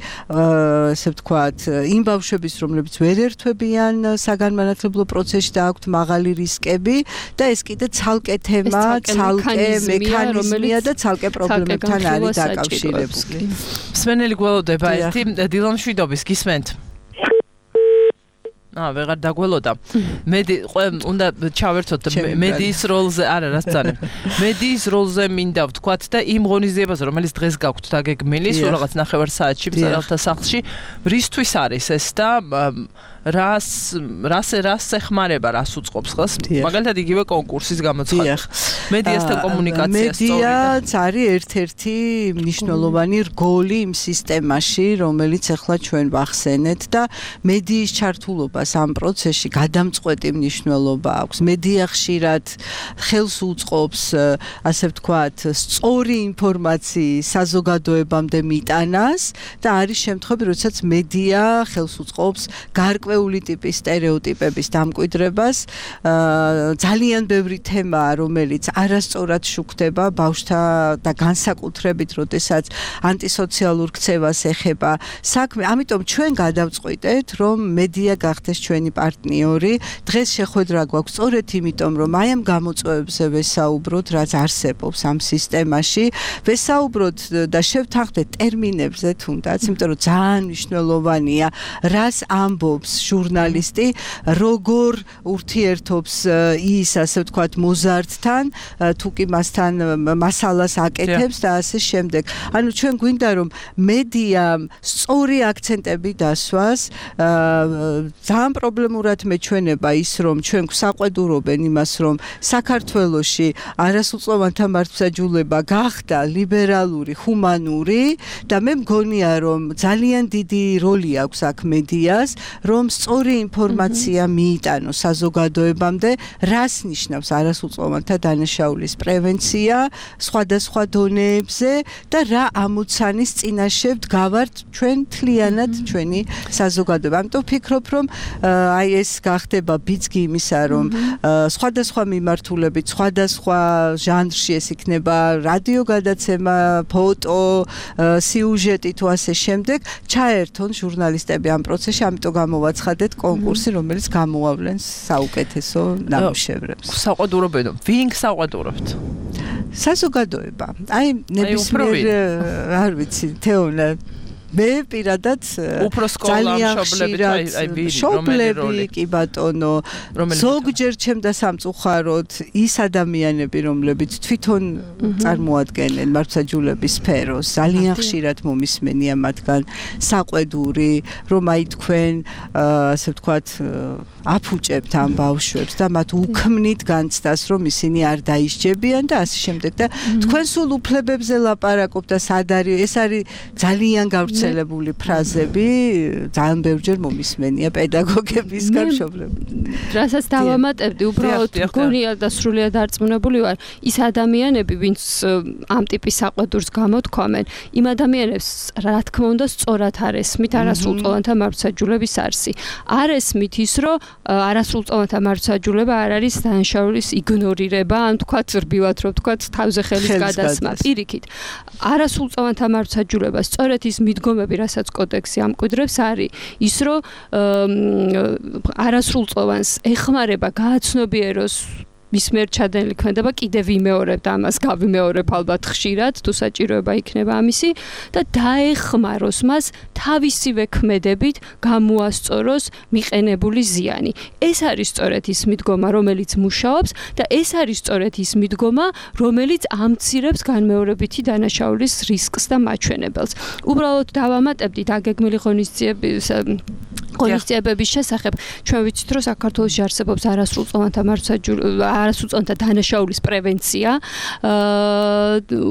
ასე ვთქვათ, იმ ბავშვების, რომლებიც ვერ ერთვებიან საგანმანათლებლო პროცესში და აქვთ მაღალი რისკები და ეს კიდე ცალკე თემა, ცალკე მექანიზმია და ცალკე პრობლემებთან არის დაკავშირებული. მსმენელი გველოდება ერთი დილან შვიდობის გისმენთ. აა, ვეღარ დაგველოდა. მედი უნდა ჩავერთოთ მედიის როლზე, არა, რა სწავლებ. მედიის როლზე მინდა ვთქვათ და იმ ღონისძიებაზე, რომელიც დღეს გაქვთ დაგეგმილი, სულ რაღაც ნახევარ საათში მწერალთა სახლში, რისთვის არის ეს და რას რას რას ეხმარება, რას უწყობს ხელს? მაგალითად იგივე კონკურსის გამოცხადება. მედიასთან კომუნიკაცია სწორია. მედიაც არის ერთ-ერთი მნიშვნელოვანი რგოლი იმ სისტემაში, რომელიც ახლა ჩვენ ვახსენეთ და მედიის ჩართულობას ამ პროცესში გადამწყვეტი მნიშვნელობა აქვს. მედია ხშირად ხელს უწყობს, ასე ვთქვათ, სწორი ინფორმაციის საზოგადოებამდე მიტანას და არის შემთხვევები, როდესაც მედია ხელს უწყობს გარკვეული ტიპის სტერეოტიპების დამკვიდრებას. ძალიან ბევრი თემაა, რომელიც არასწორად შუქდება ბავშვთა და განსაკუთრებით, როდესაც ანტისოციალურ ქცევას ეხება საქმე. ამიტომ ჩვენ გადავწყვიტეთ, რომ მედია გახდეს ჩვენი პარტნიორი. დღეს შეხვედრა გვაქვს სწორედ იმიტომ, რომ აი ამ გამოწვევებზე ვესაუბროთ, რაც არსებობს ამ სისტემაში. ვესაუბროთ და შევთანხმდეთ ტერმინებზე თუნდაც, იმიტომ რომ ძალიან მნიშვნელოვანია, რას ამბობს ჟურნალისტი, როგორ ურთიერთობს ის, ასე ვთქვათ, მოზარდთან, თუ კი მასთან მასალას აკეთებს და ასე შემდეგ. ანუ ჩვენ გვინდა რომ მედიამ სწორი აქცენტები დასვას, ძალიან პრობლემურად მეჩვენება ის, რომ ჩვენ გვსაყვედურობენ იმას, რომ საქართველოში არასრულწლოვანთა მართლმსაჯულება გახდა ლიბერალური, ჰუმანური და მე მგონია, რომ ძალიან დიდი როლი აქვს აქ მედიას, რომ სწორი ინფორმაცია მიიტანოს საზოგადოებამდე, რას ნიშნავს არასრულწლოვანთა დანაშაულის პრევენცია სხვადასხვა დონეებზე და რა ამოცანის წინაშე ვდგავართ ჩვენ თლიანად ჩვენი საზოგადოება. ამიტომ ვფიქრობ, რომ აი ეს გახდება ბიძგი იმისა, რომ სხვადასხვა მიმართულებით, სხვადასხვა ჟანრში ეს იქნება რადიო გადაცემა, ფოტო, სიუჟეტი თუ ასე შემდეგ, ჩაერთონ ჟურნალისტები ამ პროცესში, ამიტომ გამოვაცხადეთ კონკურსი, რომელიც გამოავლენს საუკეთესო ნამუშევრებს. საყვედურობენ, ვინ საყვედურობთ? საზოგადოება. აი ნებისმიერ არ ვიცი, თეონა მე პირადად ძალიან ხშირად შობლები კი ბატონო, ზოგჯერ ჩემ და სამწუხაროდ ის ადამიანები, რომლებიც თვითონ წარმოადგენენ მართლმსაჯულების სფეროს, ძალიან ხშირად მომისმენია მათგან საყვედური, რომ აი თქვენ, ასე ვთქვათ, აფუჭებთ ამ ბავშვებს და მათ უქმნით განცდას, რომ ისინი არ დაისჯებიან და ასე შემდეგ და თქვენ სულ უფლებებზე ლაპარაკობთ და სად არის, ეს არის ძალიან გავრცელებული გავრცელებული ფრაზები ძალიან ბევრჯერ მომისმენია პედაგოგებისგან მშობლებისგან. რასაც დავამატებდი, უბრალოდ გონია და სრულიად დარწმუნებული ვარ, ის ადამიანები, ვინც ამ ტიპის საყვედურს გამოთქვამენ, იმ ადამიანებს რა თქმა უნდა სწორად არ ესმით არასრულწლოვანთა მართლმსაჯულების არსი. არ ესმით ის, რომ არასრულწლოვანთა მართლმსაჯულება არ არის დანაშაულის იგნორირება, ან თქვათ ზრბივად, რომ თქვათ თავზე ხელის გადასმა. პირიქით, არასრულწლოვანთა მართლმსაჯულება სწორედ ის მიდგომები, რასაც კოდექსი ამკვიდრებს, არის ის, რომ არასრულწლოვანს ეხმარება გააცნობიეროს მის მიერ ჩადენილი ქმედება კიდევ ვიმეორებ და ამას გავიმეორებ ალბათ ხშირად, თუ საჭიროება იქნება ამისი და დაეხმაროს მას თავისივე ქმედებით გამოასწოროს მიყენებული ზიანი. ეს არის სწორედ ის მიდგომა, რომელიც მუშაობს და ეს არის სწორედ ის მიდგომა, რომელიც ამცირებს განმეორებითი დანაშაულის რისკს და მაჩვენებელს. უბრალოდ დავამატებდი დაგეგმილი ღონისძიების ღონისძიებების შესახებ. ჩვენ ვიცით, რომ საქართველოში არსებობს არასრულწლოვანთა მართლმსაჯულება არასრულწლოვანთა დანაშაულის პრევენცია.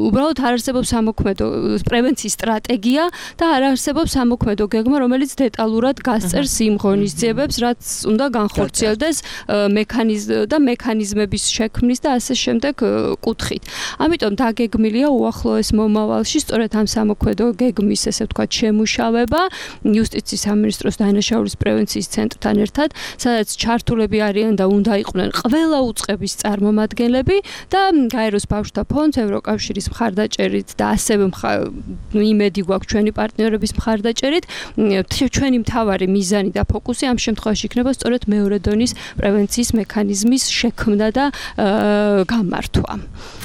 უბრალოდ არ არსებობს სამოქმედო პრევენციის სტრატეგია და არ არსებობს სამოქმედო გეგმა, რომელიც დეტალურად გასწერს იმ ღონისძიებებს, რაც უნდა განხორციელდეს მექანიზმ და მექანიზმების შექმნის და ასე შემდეგ კუთხით. ამიტომ დაგეგმილია უახლოეს მომავალში სწორედ ამ სამოქმედო გეგმის, ესე ვთქვათ, შემუშავება იუსტიციის სამინისტროს დანაშაულის პრევენციის ცენტრთან ერთად, სადაც ჩართულები არიან და უნდა იყვნენ ყველა უწყების წარმომადგენლები და გაეროს ბავშვთა ფონდს, ევროკავშირის მხარდაჭერით და ასევე იმედი გვაქვს ჩვენი პარტნიორების მხარდაჭერით, ჩვენი მთავარი მიზანი და ფოკუსი ამ შემთხვევაში იქნება სწორედ მეორე დონის პრევენციის მექანიზმის შექმნა და გამართვა.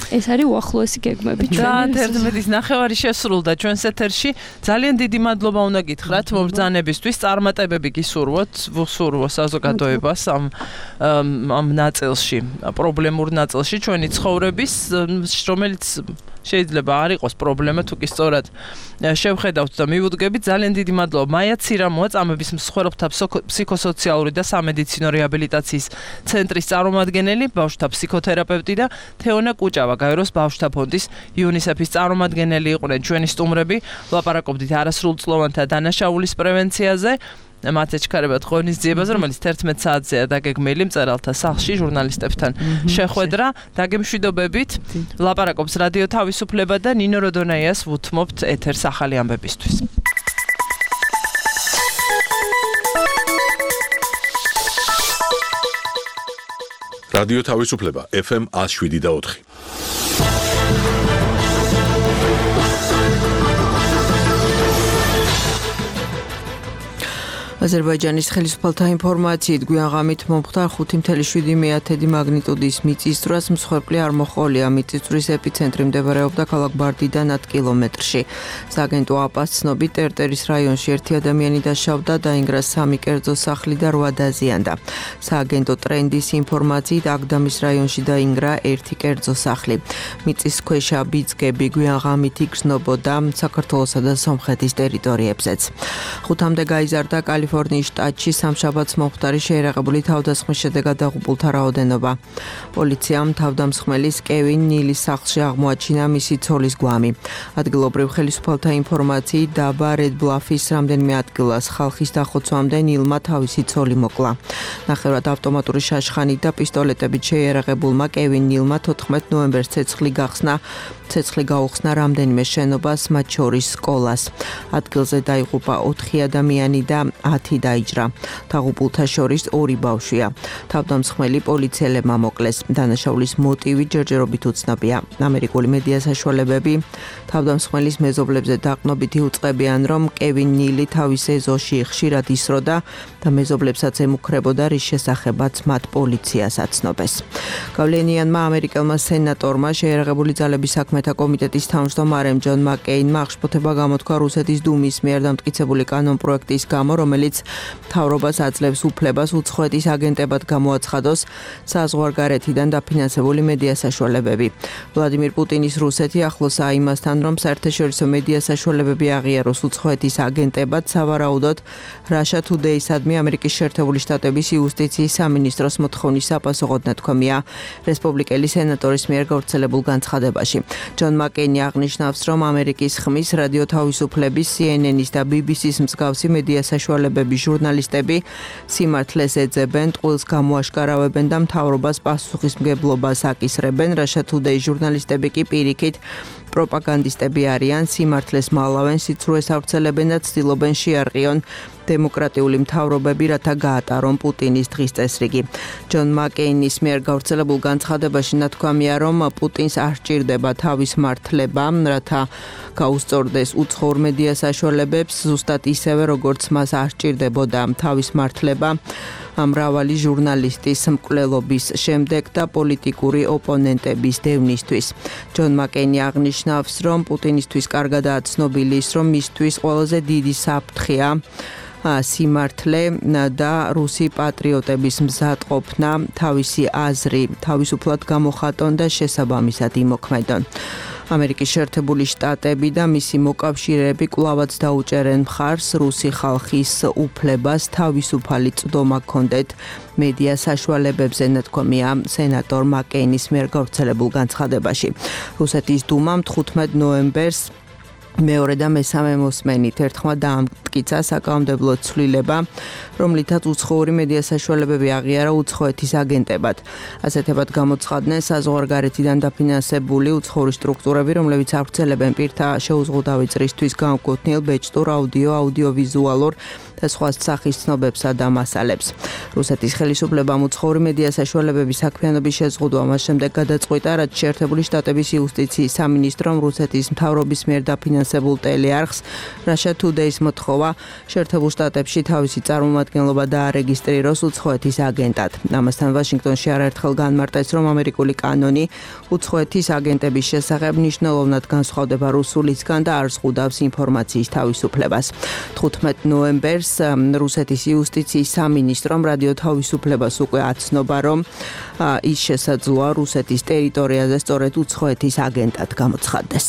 ეს არის უახლოესი გეგმები ჩვენ. და ერთმეტის ნახევარი შესრულდა ჩვენს ეთერში. ძალიან დიდი მადლობა უნდა გითხრათ მობრძანებისთვის. წარმატებები გისურვოთ, ვუსურვო საზოგადოებას ამ ამ ნაწილში, პრობლემურ ნაწილში ჩვენი ცხოვრების, რომელიც შეიძლება არ იყოს პრობლემა, თუ კი სწორად შევხედავთ და მივუდგებით. ძალიან დიდი მადლობა მაია ცირამოა, წამების მსხვერპლთა ფსიქოსოციალური და სამედიცინო რეაბილიტაციის ცენტრის წარმომადგენელი, ბავშვთა ფსიქოთერაპევტი და თეონა კუჭავა, გაეროს ბავშვთა ფონდის იუნისეფის წარმომადგენელი იყვნენ ჩვენი სტუმრები. ვლაპარაკობდით არასრულწლოვანთა დანაშაულის პრევენციაზე. მათ ეჩქარებათ ღონისძიებას, რომელიც თერთმეტ საათზეა დაგეგმილი მწერალთა სახლში ჟურნალისტებთან შეხვედრა. დაგემშვიდობებით. ლაპარაკობს რადიო თავისუფლება და ნინო როდონაიას ვუთმობთ ეთერს ახალი ამბებისთვის. რადიო თავისუფლება ეფ ემ one oh seven და four. აზერბაიჯანის ხელისუფალთა ინფორმაციით გვიან ღამით მომხდარ ხუთი ათეული მეათედი მაგნიტუდის მიწისძვრას მსხვერპლი არ მოჰყოლია. მიწისძვრის ეპიცენტრი მდებარეობდა ქალაქ ბარდიდან ათ კილომეტრში. სააგენტო აპას ცნობით ტერტერის რაიონში ერთი ადამიანი დაშავდა, დაინგრა სამი კერძო სახლი და რვა დაზიანდა. სააგენტო ტრენდის ინფორმაციით აგდამის რაიონში დაინგრა ერთი კერძო სახლი. მიწისქვეშა ბიძგები გვიან ღამით იგრძნობოდა საქართველოსა და სომხეთის ტერიტორიებზეც. ხუთამდე გაიზარდა კალიფორნიის შტატში სამშაბათს მომხდარი შეერაღებული თავდასხმის შედეგად დაღუპულთა რაოდენობა. პოლიციამ თავდამსხმელის კევინ ნილის სახლში აღმოაჩინა მისი ცოლის გვამი. ადგილობრივ ხელისუფალთა ინფორმაციით დაბა რედბლაფის რამდენიმე ადგილას ხალხის დახოცვამდე ნილმა თავისი ცოლი მოკლა. ნახევრად ავტომატური შაშხანით და პისტოლეტებით შეიარაღებულმა კევინ ნილმა თოთხმეტ ნოემბერს ცეცხლი გახსნა ცეცხლი გაუხსნა რამდენიმე შენობას, მათ შორის სკოლას. ადგილზე დაიღუპა ოთხი ადამიანი და ათი დაიჭრა. დაღუპულთა შორის ორი ბავშვია. თავდამსხმელი პოლიციელებმა მოკლეს. დანაშაულის მოტივი ჯერჯერობით უცნობია. ამერიკული მედია საშუალებები თავდამსხმელის მეზობლებზე დაყრდნობითი უწყებიან, რომ კევინ ნილი თავის ეზოში ხშირად ისროდა და მეზობლებსაც ემუქრებოდა, რის შესახებაც მათ პოლიციას აცნობეს. გავლენიანმა ამერიკელმა სენატორმა შეერაღებული ძალების საქმეთა კომიტეტის თავმჯდომარემ ჯონ მაკეინმა აღშფოთება გამოთქვა რუსეთის დუმის მიერ დამტკიცებული კანონპროექტის გამო, რომელიც რომელიც მთავრობას აძლევს უფლებას უცხოეთის აგენტებად გამოაცხადოს საზღვარგარეთიდან დაფინანსებული მედია საშუალებები. ვლადიმირ პუტინის რუსეთი ახლოსაა იმასთან, რომ საერთაშორისო მედია საშუალებები აღიაროს უცხოეთის აგენტებად, სავარაუდოდ Russia Today-სადმი ამერიკის შეერთებული შტატების იუსტიციის სამინისტროს მოთხოვნის საპასუხოდ ნათქვამია რესპუბლიკელი სენატორის მიერ გავრცელებულ განცხადებაში. ჯონ მაკეინი აღნიშნავს, რომ ამერიკის ხმის რადიო თავისუფლების, C N N-ის და B B C-ის მსგავსი მედია საშუალებების ჟურნალისტები სიმართლეს ეძებენ, ტყუილს გამოაშკარავებენ და მთავრობას პასუხისმგებლობას აკისრებენ. Russia Today ჟურნალისტები კი პირიქით პროპაგანდისტები არიან, სიმართლეს მალავენ, სიცრუეს ავრცელებენ და ცდილობენ შეარყიონ დემოკრატიული მთავრობები, რათა გაატარონ პუტინის დღის წესრიგი. ჯონ მაკეინის მიერ გავრცელებულ განცხადებაში ნათქვამია, რომ პუტინს არ სჭირდება თავის მართლება, რათა გაუსწორდეს უცხოურ მედია საშუალებებს, ზუსტად ისევე როგორც მას არ სჭირდებოდა თავის მართლება მრავალი ჟურნალისტის მკვლელობის შემდეგ და პოლიტიკური ოპონენტების დევნისთვის. ჯონ მაკეინი აღნიშნავს, რომ პუტინისთვის კარგადაა ცნობილი ის, რომ მისთვის ყველაზე დიდი საფრთხეა სიმართლე და რუსი პატრიოტების მზადყოფნა, თავისი აზრი თავისუფლად გამოხატონ და შესაბამისად იმოქმედონ. ამერიკის შეერთებული შტატები და მისი მოკავშირეები კვლავაც დაუჭერენ მხარს რუსი ხალხის უფლებას თავისუფალი წვდომა ჰქონდეთ მედია საშუალებებზე, ნათქვამია სენატორ მაკეინის მიერ გავრცელებულ განცხადებაში. რუსეთის დუმამ თხუთმეტ ნოემბერს მეორე და მესამე მოსმენით ერთხმა დაამტკიცა საკანონმდებლო ცვლილება, რომლითაც უცხოური მედია საშუალებები აღიარა უცხოეთის აგენტებად. ასეთებად გამოცხადნენ საზღვარგარეთიდან დაფინანსებული უცხოური სტრუქტურები, რომლებიც ავრცელებენ პირთა შეუზღუდავი წრისთვის განკუთვნილ ბეჭდურ აუდიო, აუდიოვიზუალურ და სხვა სახის ცნობებსა და მასალებს. რუსეთის ხელისუფლებამ უცხოური მედია საშუალებების საქმიანობის შეზღუდვა მას შემდეგ გადაწყვიტა, რაც შეერთებული შტატების იუსტიციის სამინისტრომ რუსეთის მთავრობის მიერ დაფინანსებულ ტელეარხს Russia Today-ს მოთხოვა შეერთებულ შტატებში თავისი წარმომადგენლობა დაარეგისტრიროს უცხოეთის აგენტად. ამასთან ვაშინგტონში არაერთხელ განმარტეს, რომ ამერიკული კანონი უცხოეთის აგენტების შესახებ მნიშვნელოვნად განსხვავდება რუსულისგან და არ ზღუდავს ინფორმაციის თავისუფლებას. თხუთმეტ ნოემბერს რუსეთის იუსტიციის სამინისტრომ რადიო თავისუფლებას უკვე აცნობა, რომ ის შესაძლოა რუსეთის ტერიტორიაზე სწორედ უცხოეთის აგენტად გამოცხადდეს.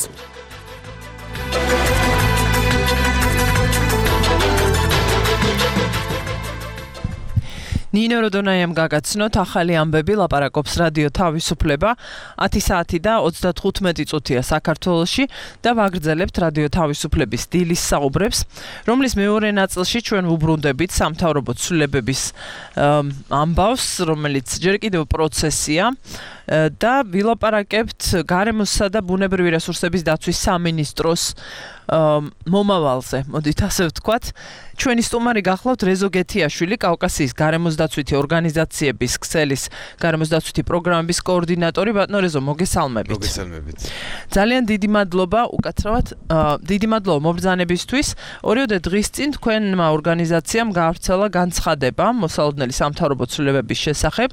ნინო როდონაიამ გაგაცნოთ ახალი ამბები, ლაპარაკობს რადიო თავისუფლება, ათი საათი და ოცდათხუთმეტი წუთია საქართველოში და ვაგრძელებთ რადიო თავისუფლების დილის საუბრებს, რომლის მეორე ნაწილში ჩვენ ვუბრუნდებით სამთავრობო ცვლილებების ამბავს, რომელიც ჯერ კიდევ პროცესია და ვილაპარაკებთ გარემოსა და ბუნებრივი რესურსების დაცვის სამინისტროს მომავალზე. მოდით ასე ვთქვათ, ჩვენი სტუმარი გახლავთ რეზო გეთიაშვილი, კავკასიის გარემოსდაცვითი ორგანიზაციების ქსელის გარემოსდაცვითი პროგრამების კოორდინატორი. ბატონო რეზო, მოგესალმებით. მოგესალმებით. ძალიან დიდი მადლობა, უკაცრავად, დიდი მადლობა მობრძანებისთვის. ორიოდე დღის წინ თქვენმა ორგანიზაციამ გაავრცელა განცხადება მოსალოდნელი სამთავრობო ცვლილებების შესახებ,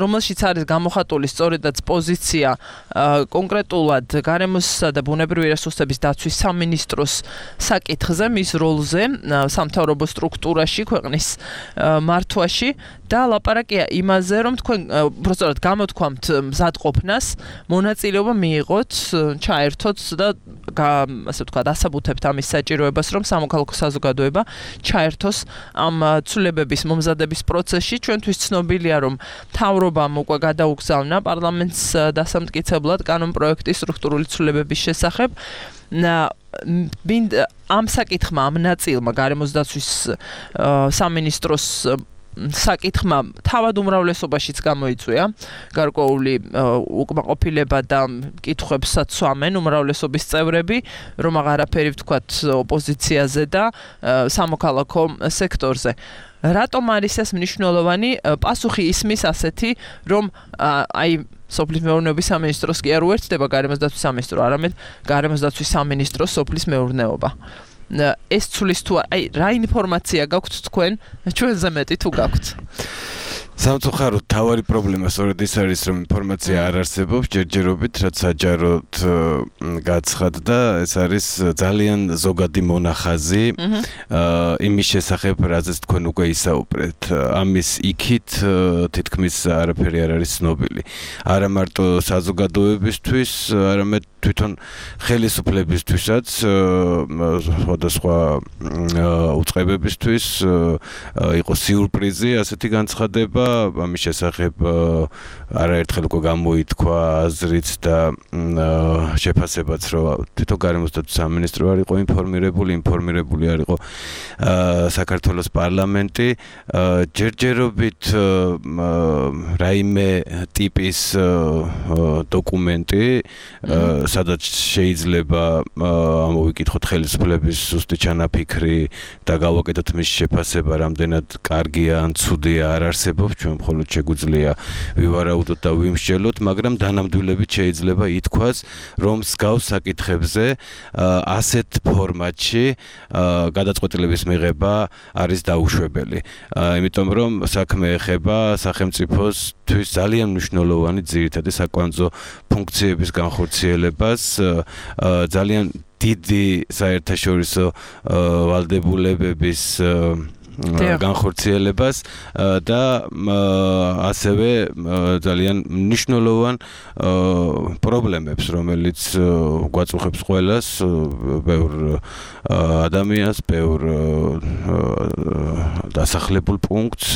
რომელშიც არის გამოხატული სწორედაც პოზიცია კონკრეტულად გარემოსა და ბუნებრივი რესურსების დაცვის სამინისტროს საკითხზე, მის როლზე სამთავრობო სტრუქტურაში, ქვეყნის მართვაში და ლაპარაკია იმაზე, რომ თქვენ უბრალოდ გამოთქვამთ მზადყოფნას, მონაწილეობა მიიღოთ, ჩაერთოთ და ასე ვთქვათ, ასაბუთებთ ამის საჭიროებას, რომ სამოქალაქო საზოგადოება ჩაერთოს ამ ცვლილებების მომზადების პროცესში. ჩვენთვის ცნობილია, რომ მთავრობამ უკვე გადაუგზავნა პარლამენტს დასამტკიცებლად კანონპროექტის სტრუქტურული ცვლილებების შესახებ. ამ საკითხმა, ამ ნაწილმა გარემოსდაცვის სამინისტროს საკითხმა თავად უმრავლესობაშიც გამოიწვია გარკვეული უკმაყოფილება და კითხვებსაც სვამენ უმრავლესობის წევრები, რომ აღარაფერი ვთქვათ ოპოზიციაზე და სამოქალაქო სექტორზე. რატომ არის ეს მნიშვნელოვანი? პასუხი ისმის ასეთი, რომ აი სოფლის მეურნეობის სამინისტროს კი არ უერთდება გარემოსდაცვის სამინისტრო, არამედ გარემოსდაცვის სამინისტროს სოფლის მეურნეობა. ეს ცulis თუ აი რა ინფორმაცია გაქვთ თქვენ ჩვენზე მეტი თუ გაქვთ? სამწუხაროდ თავარი პრობლემა სწორედ ის არის, რომ ინფორმაცია არ არსებობს ჯერჯერობით, რაც საჯაროდ გაცხადდა, ეს არის ძალიან ზოგადი მონახაზი იმის შესახებ, რაზეც თქვენ უკვე ისაუბრეთ. ამის იქით თითქმის არაფერი არ არის ცნობილი. არა მარტო საზოგადოებისთვის, არამედ თვითონ ხელისუფლებისთვისაც, სხვადასხვა უწყებებისთვის იყო სიურპრიზი ასეთი განცხადება. ამის შესახებ არაერთხელ უკვე გამოითქვა აზრიც და შეფასებაც, რომ თვითონ გარემოსდაცვის სამინისტრო არ იყო ინფორმირებული, ინფორმირებული არ იყო საქართველოს პარლამენტი. ჯერჯერობით რაიმე ტიპის დოკუმენტი, სადაც შეიძლება ამოვიკითხოთ ხელისუფლების ზუსტი ჩანაფიქრი და გავაკეთოთ მის შეფასება, რამდენად კარგია ან ცუდია არ არსებობს. ჩვენ მხოლოდ შეგვიძლია ვივარაუდოთ და ვიმსჯელოთ, მაგრამ დანამდვილებით შეიძლება ითქვას, რომ მსგავს საკითხებზე ასეთ ფორმატში გადაწყვეტილების მიღება არის დაუშვებელი. იმიტომ რომ საქმე ეხება სახელმწიფოსთვის ძალიან მნიშვნელოვანი ძირითადი საკვანძო ფუნქციების განხორციელებას, ძალიან დიდი საერთაშორისო ვალდებულებების განხორციელებას და ასევე ძალიან მნიშვნელოვან პრობლემებს, რომელიც გვაწუხებს ყველას, ბევრ ადამიანს, ბევრ დასახლებულ პუნქტს,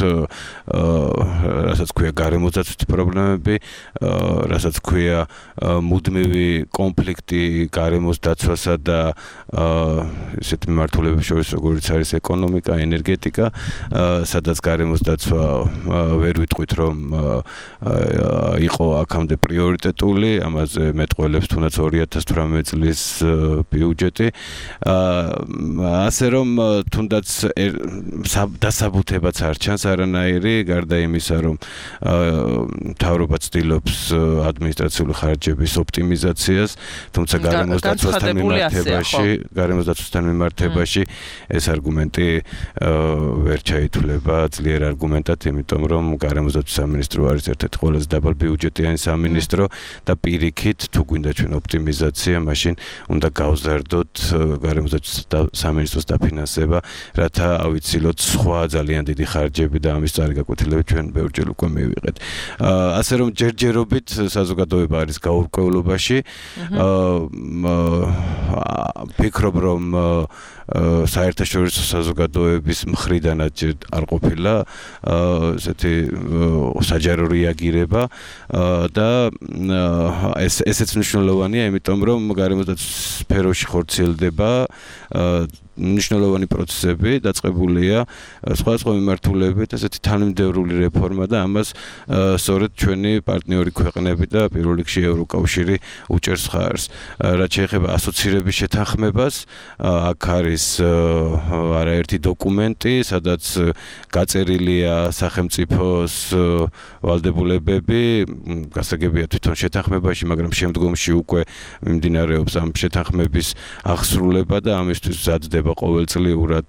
რასაც ქვია გარემოსდაცვითი პრობლემები, რასაც ქვია მუდმივი კონფლიქტი გარემოსდაცვასა და ისეთ მიმართულების შორის, როგორც არის ეკონომიკა, ენერგეტიკა, სადაც გარემოსდაცვა ვერ ვიტყვით, რომ იყო აქამდე პრიორიტეტული, ამაზე მეტყველებს თუნდაც ორი ათას თვრამეტი წლის ბიუჯეტი. ასე რომ თუნდაც დასაბუთებაც არ ჩანს არანაირი, გარდა იმისა, რომ მთავრობა ცდილობს ადმინისტრაციული ხარჯების ოპტიმიზაციას, თუმცა გარემოსდაცვასთან მიმართებაში, გარემოსდაცვასთან მიმართებაში ეს არგუმენტი ვერ ჩაითვლება ძლიერ არგუმენტად, იმიტომ რომ გარემოსდაცვის სამინისტრო არის ერთ-ერთი ყველაზე დაბალ ბიუჯეტიანი სამინისტრო და პირიქით თუ გვინდა ჩვენ ოპტიმიზაცია, მაშინ უნდა გავზარდოთ გარემოსდაცვის სამინისტროს დაფინანსება, რათა ავიცილოთ სხვა ძალიან დიდი ხარჯები და ამის წარი გაკვეთილები ჩვენ ბევრჯერ უკვე მივიღეთ. ასე რომ ჯერჯერობით საზოგადოება არის გაურკვევლობაში. ფიქრობ, რომ საერთაშორისო საზოგადოების მხრიდანაც არ ყოფილა ესეთი საჯარო რეაგირება და ეს ესეც მნიშვნელოვანია, იმიტომ რომ გარემოსდაცვის სფეროში ხორციელდება მნიშვნელოვანი პროცესები, დაწყებულია სხვადასხვა მიმართულებით ესეთი თანმიმდევრული რეფორმა და ამას სწორედ ჩვენი პარტნიორი ქვეყნები და პირველ რიგში ევროკავშირი უჭერს ხარს. რაც შეეხება ასოცირების შეთანხმებას, აქ არის არაერთი დოკუმენტი, სადაც გაწერილია სახელმწიფოს ვალდებულებები, გასაგებია თვითონ შეთანხმებაში, მაგრამ შემდგომში უკვე მიმდინარეობს ამ შეთანხმების აღსრულება და ამისთვის მზადდება ყოველწლიურად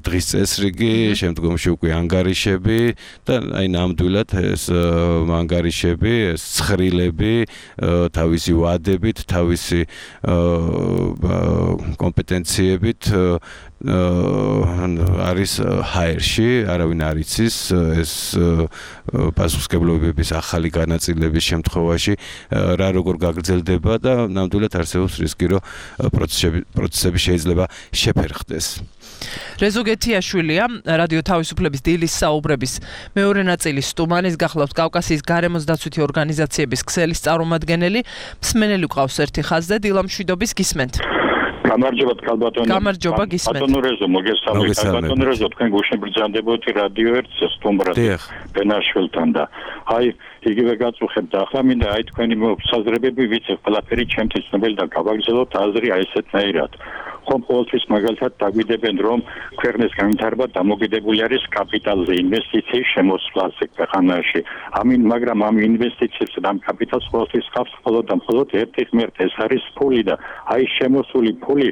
დღის წესრიგი, შემდგომში უკვე ანგარიშები და აი ნამდვილად ეს ანგარიშები, ეს ცხრილები თავისი ვადებით, თავისი კომპეტენციებით არის ჰაერში, არავინ არ იცის ეს პასუხისმგებლობების ახალი განაწილების შემთხვევაში რა როგორ გაგრძელდება და ნამდვილად არსებობს რისკი, რომ პროცესები პროცესები შეიძლება შეფერხდეს. რეზო გეთიაშვილია, რადიო თავისუფლების დილის საუბრების მეორე ნაწილის სტუმარი, გახლავთ კავკასიის გარემოსდაცვითი ორგანიზაციების ქსელის წარმომადგენელი, მსმენელი გვყავს ერთი ხაზზე, დილა მშვიდობის გისმენთ. გამარჯობა კალბატონო. გამარჯობა გისმენთ. ბატონო რეზო, მოგესალმებით. ბატონო რეზო, თქვენ გუშინ ბრძანდებოდი რადიო ერთს სტუმრად ბენაშვილთან და აი იგივე გაწუხებთ და ახლა მინდა აი თქვენი საზრებები ვიცი, ყველაფერი ჩემთვის ცნობილი და გავაგრძელოთ აზრი აი ესეთნაირად. ხომ ყოველთვის მაგალითად დაგვიდებენ, რომ ქვეყნის განვითარება დამოკიდებული არის კაპიტალზე, ინვესტიციის შემოსვლაზე ქვეყანაში. ამინ, მაგრამ ამ ინვესტიციებს და ამ კაპიტალს ყოველთვის ხავს მხოლოდ და მხოლოდ ერთი ღმერთი, ეს არის ფული და აი შემოსული ფული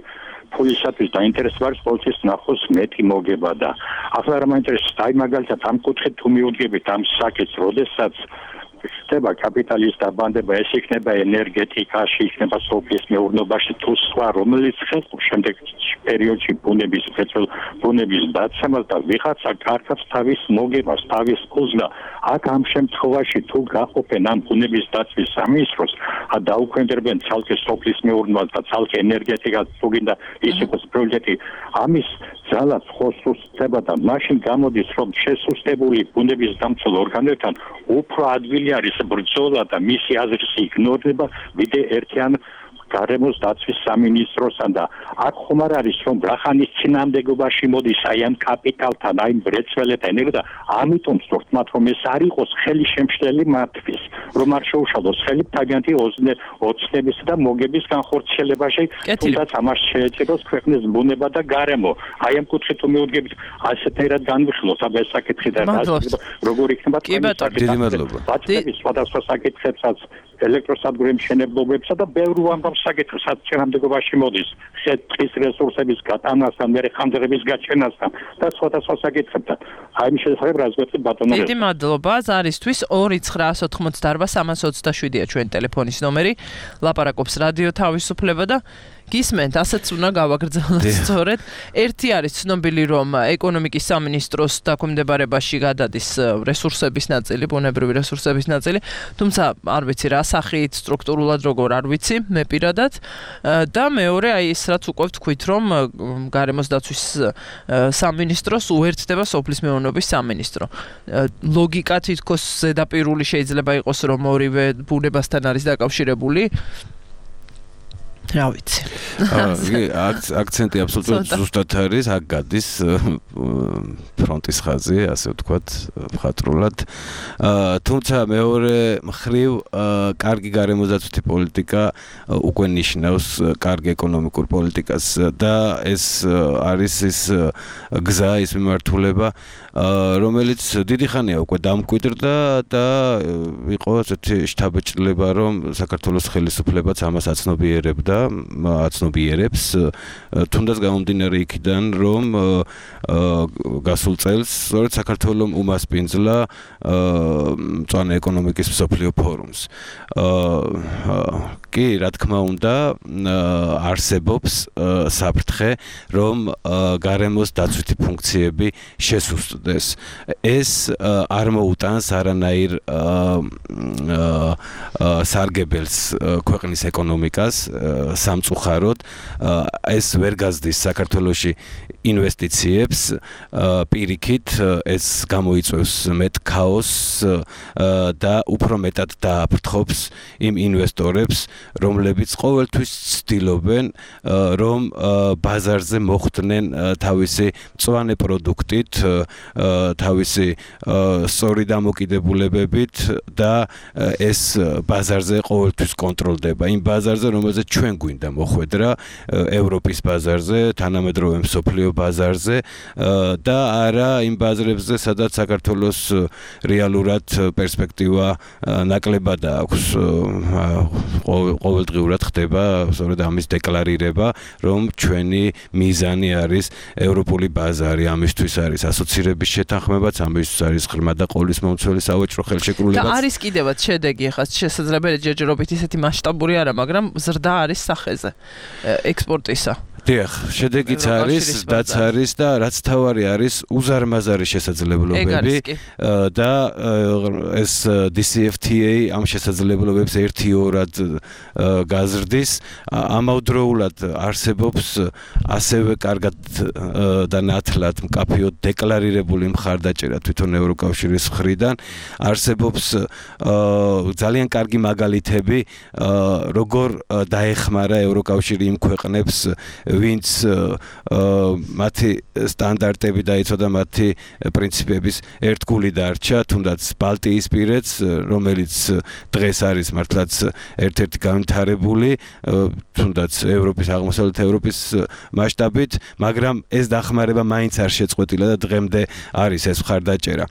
ფულისათვის დაინტერესება არის ყოველთვის ნახოს მეტი მოგება და ახლა რა მაინტერესებს აი მაგალითად ამ კუთხით თუ მიუდგებით ამ საკითხს როდესაც ხდება კაპიტალის დაბანდება ეს იქნება ენერგეტიკაში იქნება სოფლის მეურნეობაში თუ სხვა რომელიც ხელს შემდეგ პერიოდში ბუნების ფეცელ ბუნების დაცემას და ვიღაცა კარგად თავის მოგებას თავის კუზნა აქ ამ შემთხვევაში თუ გაყოფენ ამ ბუნების დაცვის სამინისტროს ა დაუქვემდებარებენ ცალკე სოფლის მეურნეობას და ცალკე ენერგეტიკას თუ გინდა ის იყოს პროექტი ამის ძალა ხოსუსდება და მაშინ გამოდის რომ შესუსტებული ბუნების დამცველ ორგანოებთან უფრო ადვილი არის ბრძოლა და მისი აზრის იგნორება ვიდრე ერთიან გარემოს დაცვის სამინისტროსთან და აქ ხომ არ არის რომ რახანის წინამდებობაში მოდის აი ამ კაპიტალთან აი ბრეცველებთან და ამიტომ სწორად მათ რომ ეს არ იყოს ხელი შემშლელი მათთვის რომ არ შეუშალოს ხელი თაგიანთი ოცნების და მოგების განხორციელებაში თუნდაც ამას შეეწიროს ქვეყნის ბუნება და გარემო აი ამ კუთხით თუ მიუდგებით ასეთერად განვიხილოთ აბა ეს საკითხი და როგორ იქნება დიდი მადლობა ბატონი სხვადასხვა საკითხებსაც ელექტროსადგურების მშენებლობებსა და ბევრ ამბავს საკითხს საჭიროებაში მოდის ხეთის რესურსების გატანასთან, მერე ხანძრების გაჩენასთან და სხვადასხვა საკითხებთან. აი მის შესახებ რა ზღვეთით ბატონო. დიდი მადლობა ზარისთვის ორი ცხრა ოთხმოცდაარბა სამას ოცდაშვიდია ჩვენი ტელეფონის ნომერი. ლაპარაკობს რადიო თავისუფლება და გისმენთ, ასეც უნდა გავაგრძელოთ სწორედ. ერთი არის ცნობილი რომ ეკონომიკის სამინისტროს დაქვემდებარებაში გადადის რესურსების ნაწილი, ბუნებრივი რესურსების ნაწილი, თუმცა არ ვიცი რა სახით სტრუქტურულად როგორ არ ვიცი, მე პირადად და მეორე აი ეს რაც უკვე ვთქვით რომ გარემოს დაცვის სამინისტროს უერთდება სოფლის მეურნეობის სამინისტრო. ლოგიკა თითქოს ზედაპირული შეიძლება იყოს რომ ორივე ბუნებასთან არის დაკავშირებული. რა ვიცი. აქცენტი აბსოლუტურად ზუსტად არის, აქ გადის ფრონტის ხაზი, ასე ვთქვათ, მხატვრულად. თუმცა მეორე მხრივ კარგი გარემოდაცვითი პოლიტიკა უკვე ნიშნავს კარგი ეკონომიკურ პოლიტიკას და ეს არის ის გზა, ის მიმართულება, რომელიც დიდი ხანია უკვე დამკვიდრდა და იყო ასეთი შთაბეჭდილება, რომ საქართველოს ხელისუფლებაც ამას აცნობიერებდა. აცნობიერებს თუნდაც გამომდინარე იქიდან რომ გასულ წელს სწორედ საქართველოს უმასპინძლა მწვანე ეკონომიკის მსოფლიო ფორუმს. კი, რა თქმა უნდა, არსებობს საფრთხე, რომ გარემოს დაცვითი ფუნქციები შესუსტდეს. ეს არ მოუტანს არანაირ სარგებელს ქვეყნის ეკონომიკას სამწუხაროდ ეს ვერ გაზრდის საქართველოში ინვესტიციებს პირიქით ეს გამოიწვევს მეტ ქაოსს და უფრო მეტად დააფრთხობს იმ ინვესტორებს რომლებიც ყოველთვის ცდილობენ რომ ბაზარზე მოხვდნენ თავისი მწვანე პროდუქტით თავისი სწორი დამოკიდებულებებით და ეს ბაზარზე ყოველთვის კონტროლდება იმ ბაზარზე რომელზეც ჩვენ გვინდა მოხვედრა ევროპის ბაზარზე, თანამედროვე მსოფლიო ბაზარზე და არა იმ ბაზრებზე, სადაც საქართველოს რეალურად პერსპექტივა ნაკლებად აქვს. ყოველდღიურად ხდება სწორედ ამის დეკლარირება, რომ ჩვენი მიზანი არის ევროპული ბაზარი, ამისთვის არის ასოცირების შეთანხმებაც, ამისთვის არის ღრმა და ყოვლისმომცველი სავაჭრო ხელშეკრულებაც. და არის კიდევაც შედეგი, ახლა შესაძლებელი ჯერჯერობით ისეთი მასშტაბური არა, მაგრამ ზრდა არის სახეზე ექსპორტისა. დიახ, შედეგიც არის, დაც არის და რაც თავარი არის უზარმაზარი შესაძლებლობები და ეს დი სი ეფ თი ეი ამ შესაძლებლობებს ერთი-ორად გაზრდის. ამავდროულად არსებობს ასევე კარგად და ნათლად მკაფიოდ დეკლარირებული მხარდაჭერა თვითონ ევროკავშირის მხრიდან. არსებობს ძალიან კარგი მაგალითები, როგორ დაეხმარა ევროკავშირი იმ ქვეყნებს ვინც მათი სტანდარტები დაიცვა მათი პრინციპების ერთგული დარჩა, თუნდაც ბალტიისპირეთს, რომელიც დღეს არის მართლაც ერთ-ერთი განვითარებული, თუნდაც ევროპის აღმოსავლეთ ევროპის მასშტაბით, მაგრამ ეს დახმარება მაინც არ შეწყვეტილა და დღემდე არის ეს მხარდაჭერა.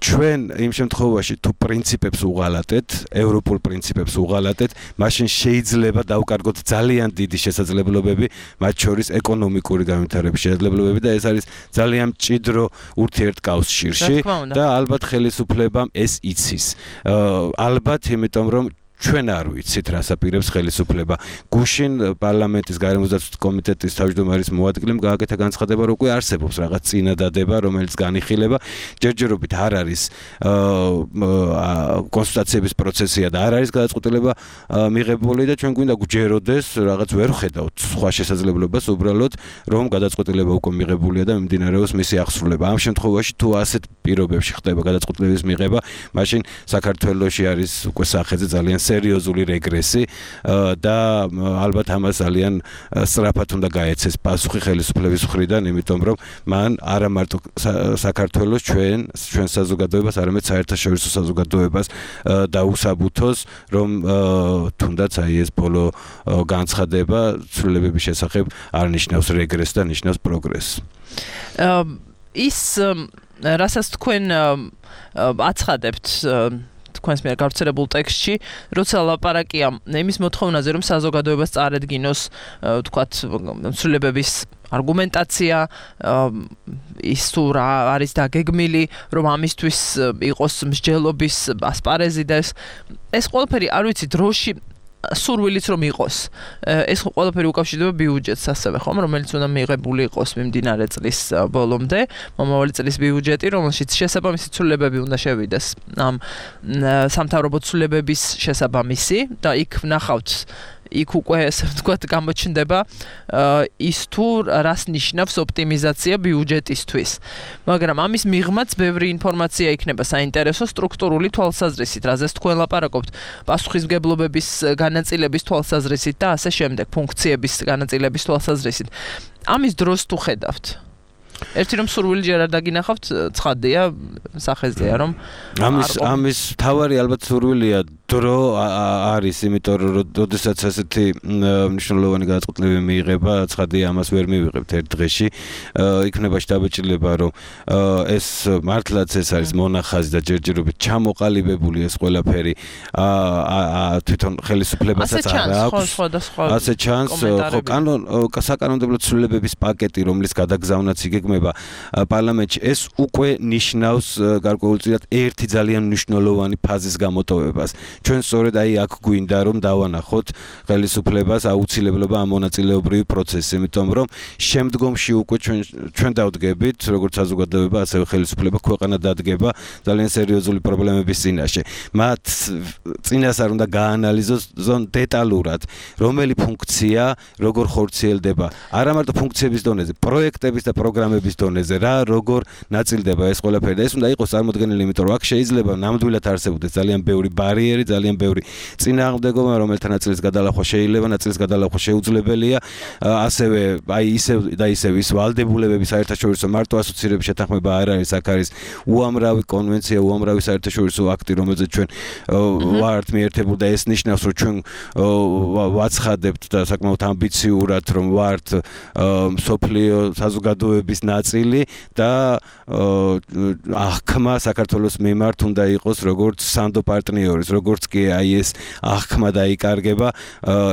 ჩვენ იმ შემთხვევაში თუ პრინციპებს უღალატეთ, ევროპულ პრინციპებს უღალატეთ, მაშინ შეიძლება დავკარგოთ ძალიან დიდი შესაძლებლობები, მათ შორის ეკონომიკური განვითარების შესაძლებლობები და ეს არის ძალიან მჭიდრო ურთიერთკავშირში და ალბათ ხელისუფლებამ ეს იცის. ალბათ იმიტომ რომ ჩვენ არ ვიცით რას აპირებს ხელისუფლება. გუშინ პარლამენტის გარემოსდაცვის კომიტეტის თავმჯდომარის მოადგილემ გააკეთა განცხადება, რომ უკვე არსებობს რაღაც წინადადება, რომელიც განიხილება. ჯერჯერობით არ არის კონსულტაციების პროცესია და არ არის გადაწყვეტილება მიღებული და ჩვენ გვინდა გვჯეროდეს, რაღაც ვერ ხედავთ სხვა შესაძლებლობას უბრალოდ, რომ გადაწყვეტილება უკვე მიღებულია და მიმდინარეობს მისი აღსრულება. ამ შემთხვევაში თუ ასეთ პირობებში ხდება გადაწყვეტილების მიღება, მაშინ საქართველოში არის უკვე სახეზე ძალიან სერიოზული რეგრესი და ალბათ ამას ძალიან სწრაფად უნდა გაეცეს პასუხი ხელისუფლების მხრიდან, იმიტომ რომ მან არა მარტო საქართველოს ჩვენ ჩვენ საზოგადოებას, არამედ საერთაშორისო საზოგადოებას დაუსაბუთოს, რომ თუნდაც აი ეს ბოლო განცხადება ცვლილებების შესახებ არ ნიშნავს რეგრესს და ნიშნავს პროგრესს. ის რასაც თქვენ აცხადებთ თქვენს მიერ გავრცელებულ ტექსტში, როცა ლაპარაკია იმის მოთხოვნაზე, რომ საზოგადოებას წარედგინოს, თქვათ, ცვლილებების არგუმენტაცია, ის თუ რა არის დაგეგმილი, რომ ამისთვის იყოს მსჯელობის ასპარეზი და ეს ეს ყველაფერი არ ვიცი დროში სურვილიც რომ იყოს. ეს ყველაფერი უკავშირდება ბიუჯეტს ასევე, ხომ, რომელიც უნდა მიღებული იყოს მიმდინარე წლის ბოლომდე, მომავალი წლის ბიუჯეტი, რომელშიც შესაბამისი ცვლილებები უნდა შევიდეს ამ სამთავრობო ცვლილებების შესაბამისი და იქ ვნახავთ იქ უკვე ესე ვთქვათ გამოჩნდება ის თუ რას ნიშნავს ოპტიმიზაცია ბიუჯეტისთვის. მაგრამ ამის მიღმაც ბევრი ინფორმაცია იქნება საინტერესო სტრუქტურული თვალსაზრისით, რაზეც თქვენ ლაპარაკობთ, პასუხისმგებლობების განაწილების თვალსაზრისით და ასე შემდეგ, ფუნქციების განაწილების თვალსაზრისით. ამის დროს თუ ხედავთ ერთი რომ სურვილი ჯერ არ დაგინახავთ, ცხადია, სახეზეა რომ ამის ამის თავარი ალბათ სურვილია დრო არის, იმიტომ რომ როდესაც ასეთი მნიშვნელოვანი გადაწყვეტილება მიიღება, ცხადია ამას ვერ მივიღებთ ერთ დღეში. იქნება შტაბ-ჭრილება, რომ ეს მართლაც ეს არის მონახაზი და ჯერჯერობით ჩამოყალიბებული ეს ყველაფერი თვითონ ხელისუფლებასაც არ აქვს. ასე ჩანს, ხო, კანონ საკანონმდებლო ცვლილებების პაკეტი, რომლის გადაგზავნაც იგეგმება პარლამენტში, ეს უკვე ნიშნავს გარკვეულწილად ერთი ძალიან მნიშვნელოვანი ფაზის გამოტოვებას. ჩვენ სწორედ აი აქ გვინდა რომ დავანახოთ ხელისუფლებას აუცილებლობა ამ მონაწილეობრივი პროცესი, იმიტომ რომ შემდგომში უკვე ჩვენ ჩვენ დავდგებით, როგორც საზოგადოება, ასევე ხელისუფლება ქვეყანა დადგება ძალიან სერიოზული პრობლემების წინაშე. მათ წინას არ უნდა გაანალიზოს დეტალურად, რომელი ფუნქცია როგორ ხორციელდება, არა მარტო ფუნქციების დონეზე, პროექტების და პროგრამების დონეზე, რა როგორ ნაწილდება ეს ყველაფერი და ეს უნდა იყოს წარმოდგენილი, იმიტომ რომ აქ შეიძლება ნამდვილად არსებობდეს ძალიან ბევრი ბარიერი, ძალიან ბევრი წინააღმდეგობა, რომელთა ნაწილის გადალახვა შეიძლება, ნაწილის გადალახვა შეუძლებელია. ასევე აი ისევ და ისევ ის ვალდებულებები საერთაშორისო მარტო ასოცირების შეთანხმება არ არის, აქ არის უამრავი კონვენცია, უამრავი საერთაშორისო აქტი, რომელზეც ჩვენ ვართ მიერთებული და ეს ნიშნავს, რომ ჩვენ ვაცხადებთ და საკმაოდ ამბიციურად, რომ ვართ მსოფლიო საზოგადოების ნაწილი და აღქმა საქართველოს მიმართ უნდა იყოს როგორც სანდო პარტნიორის, როგორც კი აი ეს აღქმა დაიკარგება,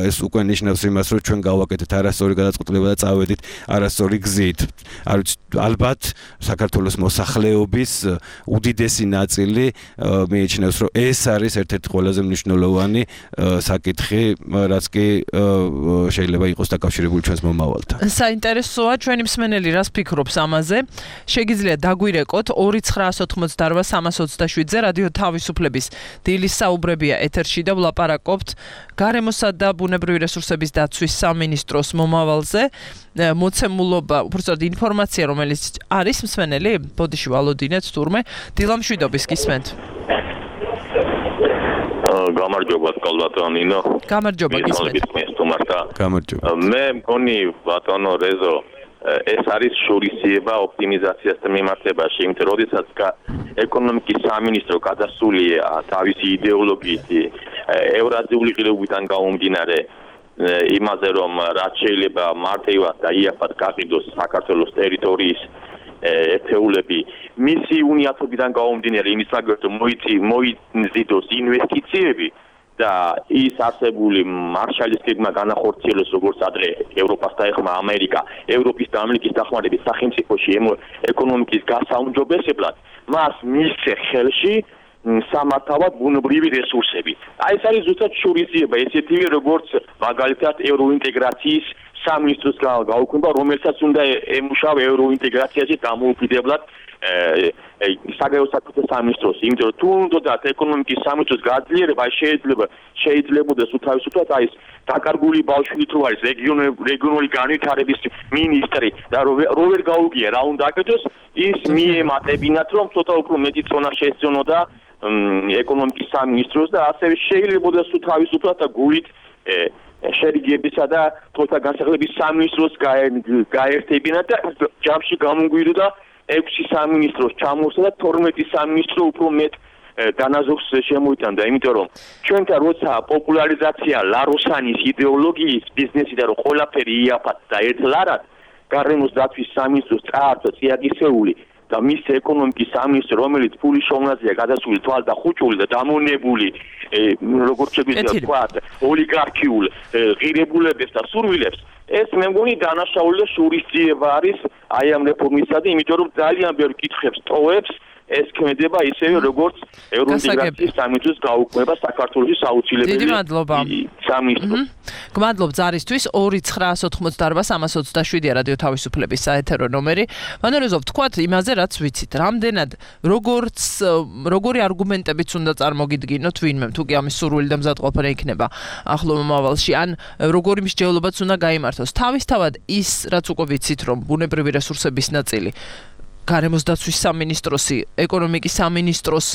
ეს უკვე ნიშნავს იმას, რომ ჩვენ გავაკეთეთ არასწორი გადაწყვეტილება და წავედით არასწორი გზით. არ ვიცი, ალბათ საქართველოს მოსახლეობის უდიდესი ნაწილი მიიჩნევს, რომ ეს არის ერთ-ერთი ყველაზე მნიშვნელოვანი საკითხი, რაც კი შეიძლება იყოს დაკავშირებული ჩვენს მომავალთან. საინტერესოა ჩვენი მსმენელი რას ფიქრობს ამაზე. შეგიძლიათ დაგვირეკოთ ორი ცხრაას ოთხმოცდაორვა სამას ოცდაშვიდზე რადიო თავისუფლების დილის საუბრებია ეთერში და ვლაპარაკობთ გარემოსა და ბუნებრივი რესურსების დაცვის სამინისტროს მომავალზე. მოცემულობა, უბრალოდ ინფორმაცია, რომელიც არის მსმენელი, ბოდიში ვალოდინეთ თურმე, დილამშვიდობის გისმენთ. გამარჯობა ბატონო. გამარჯობა გისმენთ. გამარჯობა. მე მგონი ბატონო რეზო ეს არის შურისძიება ოპტიმიზაციასთან მიმართებაში, იმიტომ რომ როდესაც ეკონომიკის სამინისტრო გადასულია თავისი იდეოლოგიით ევრაზიული ღირებულებიდან გამომდინარე იმაზე, რომ რაც შეიძლება მარტივად და იაფად გაყიდოს საქართველოს ტერიტორიის ერთეულები, მისი უნიათობიდან გამომდინარე იმის მაგალითად მოიცი მოიზიდოს ინვესტიციები და ის არსებული მარშალის გეგმა განახორციელოს როგორც ადრე ევროპას დაეხმა ამერიკა, ევროპის და ამერიკის დახმარების სახელმწიფოში ეკონომიკის გასაუმჯობესებლად, მას მისცე ხელში სამართავად ბუნებრივი რესურსები. აი ეს არის ზუსტად შურისძიება, ესეთი როგორც მაგალითად ევროინტეგრაციის სამინისტროს გაუქმება, რომელსაც უნდა ემუშავა ევროინტეგრაციაში დამოუკიდებლად საგარეო საქმეთა სამინისტროს, იმიტომ რომ თუ უნდათ ეკონომიკის სამინისტროს გაძლიერება, შეიძლება შეიძლებოდა თავისუფლად აი ეს დაკარგული ბავშვით რო არის რეგიონული განვითარების მინისტრი და რო ვერ გაუგია რა უნდა აკეთოს, ის მიემატებინათ რომ ცოტა უფრო მეტი წონა შეესწონოდა ეკონომიკის სამინისტროს და ასევე შეიძლებოდა თავისუფლად და გულით შერიგებისა და თვალთა განსახლების სამინისტროს გაერთებინათ და ჯამში გამოგვიდოდა ექვსი სამინისტროს ჩამოსვლა და თორმეტი სამინისტრო უფრო მეტ დანაზოგს შემოიტანდა, იმიტომ რომ ჩვენთან როცა პოპულარიზაცია ლაროსანის იდეოლოგიის ბიზნესი და რომ ყველაფერი იაფად და ერთლარად გარემოს დაცვის სამინისტროს წაართვა წიაგისეული და მის ეკონომიკის სამინისტრო, რომელიც ფულის შოვნაზეა გადასული თვალ და ხუჭული და დამონებული, როგორც შეგვიძლია ვთქვათ, ოლიგარქიულ ღირებულებებს და სურვილებს, ეს მე მგონი დანაშაული და შურისძიება არის აი ამ რეფორმისა და იმიტომ რომ ძალიან ბევრ კითხვებს ტოვებს ეს ქმედება ისევე როგორც ევროინტეგრაციის სამინისტროს გაუქმება საქართველოს საუცილებელი. დიდი მადლობა. სამინისტრო. გმადლობ ზარისთვის ორი ცხრაას ოცდაოთხმოცდაარბა სამას ოცდაშვიდი რადიო თავისუფლების საეთერო ნომერი. ვანეროზობ თქვათ იმაზე რაც ვიცით. რამდენად როგორც როგორი არგუმენტებიც უნდა წარმოგიდგინოთ ვინმე თუ კი ამის სურვილი და მზადყოფნა იქნება ახლო მომავალში ან როგორი მსჯელობაც უნდა გაიმართოს. თავისთავად ის რაც უკვე ვიცით რომ ბუნებრივი რესურსების ნაწილი გარემოს დაცვის სამინისტროსი, ეკონომიკის სამინისტროს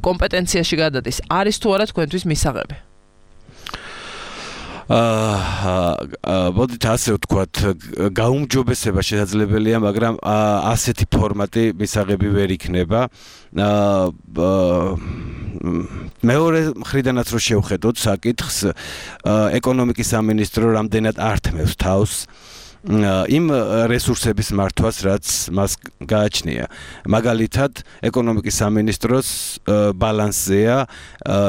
კომპეტენციაში გადადის. არის თუ არა თქვენთვის მისაღები? აა მოდით ასე ვთქვათ, გაუმჯობესება შესაძლებელია, მაგრამ ასეთი ფორმატი მისაღები ვერ იქნება. აა მეორე მხრიდანაც რო შევხედოთ საკითხს, ეკონომიკის სამინისტრო რამდენად ართმევს თავს იმ რესურსების მართვას, რაც მას გააჩნია. მაგალითად, ეკონომიკის სამინისტროს ბალანსზეა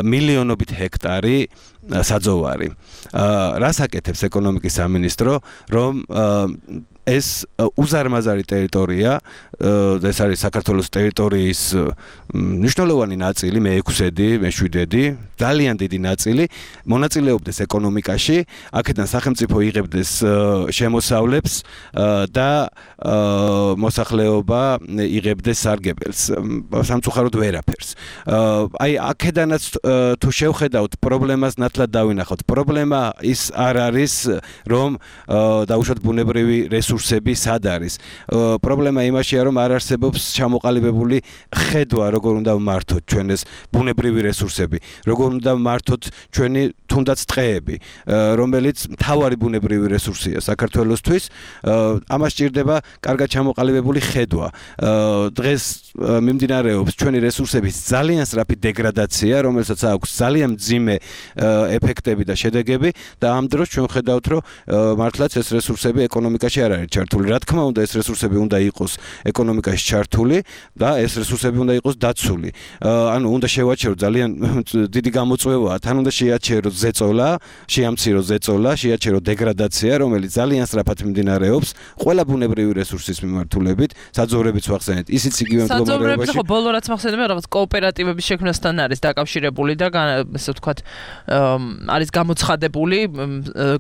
მილიონობით ჰექტარი საძოვარი. რას აკეთებს ეკონომიკის სამინისტრო, რომ ეს უზარმაზარი ტერიტორია, ეს არის საქართველოს ტერიტორიის მნიშვნელოვანი ნაწილი, მეექვსედი, მეშვიდედი, ძალიან დიდი ნაწილი, მონაწილეობდეს ეკონომიკაში, აქედან სახელმწიფო იღებდეს შემოსავლებს და მოსახლეობა იღებდეს სარგებელს, სამწუხაროდ ვერაფერს. აი, აქედანაც თუ შევხედავთ პრობლემას, ნათლად დავინახოთ. პრობლემა ის არ არის, რომ დაუშვათ ბუნებრივი რესურსები სად არის. პრობლემა იმაშია, რომ არ არსებობს ჩამოყალიბებული ხედვა, როგორ უნდა ვმართოთ ჩვენ ეს ბუნებრივი რესურსები, როგორ უნდა ვმართოთ ჩვენი თუნდაც ტყეები, რომელიც მთავარი ბუნებრივი რესურსია საქართველოსთვის. ამას სჭირდება კარგად ჩამოყალიბებული ხედვა. დღეს მიმდინარეობს ჩვენი რესურსების ძალიან სწრაფი დეგრადაცია, რომელსაც აქვს ძალიან მძიმე ეფექტები და შედეგები და ამ დროს ჩვენ ხედავთ, რომ მართლაც ეს რესურსები ეკონომიკაში არ არის ჩართული. რა თქმა უნდა, ეს რესურსები უნდა იყოს ეკონომიკაში ჩართული და ეს რესურსები უნდა იყოს დაცული. ანუ უნდა შევაჩეროთ ძალიან დიდი გამოწვევაა, თან უნდა შეაჩეროთ ზეწოლა, შეამციროთ ზეწოლა, შეაჩეროთ დეგრადაცია, რომელიც ძალიან სწრაფად მიმდინარეობს ყველა ბუნებრივი რესურსის მიმართულებით, საძოვრებიც ვახსენეთ. ისიც იგივე მდგომარეობაში. საძოვრები ხო ბოლო რაც მახსენებია, რაღაც კოოპერატივების შექმნასთან არის დაკავშირებული და ესე ვთქვათ, არის გამოცხადებული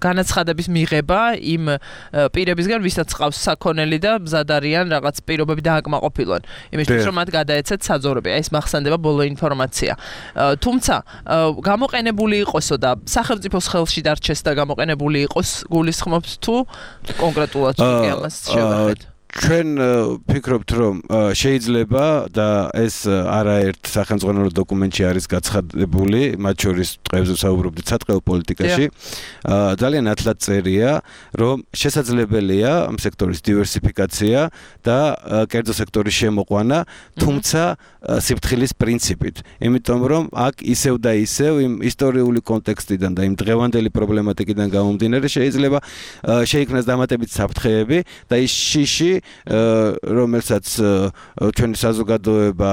განაცხადების მიღება იმ პირებისგან, ვისაც ყავს საქონელი და მზად არიან რაღაც პირობები დააკმაყოფილონ. იმისთვის რომ მათ გადაეცეთ საძოვრები. ეს მახსენდება ბოლო ინფორმაცია. თუმცა გამოყენებული იყოსო და სახელმწიფოს ხელში დარჩეს და გამოყენებული იყოს გულისხმობთ თუ კონკრეტულად კი ამას შევახეთ. ჩვენ ფიქრობთ, რომ შეიძლება და ეს არაერთ სახელმწიფო დოკუმენტში არის გაცხადებული, მათ შორის ტყეებზე საუბრობდით სატყეო პოლიტიკაში. ძალიან ნათლად წერია, რომ შესაძლებელია ამ სექტორის დივერსიფიკაცია და კერძო სექტორის შემოყვანა, თუმცა სიფრთხილის პრინციპით. იმიტომ რომ აქ ისევ და ისევ იმ ისტორიული კონტექსტიდან და იმ დღევანდელი პრობლემატიკიდან გამომდინარე შეიძლება შეიქმნას დამატებითი საფრთხეები და ის შიში რომელსაც ჩვენი საზოგადოება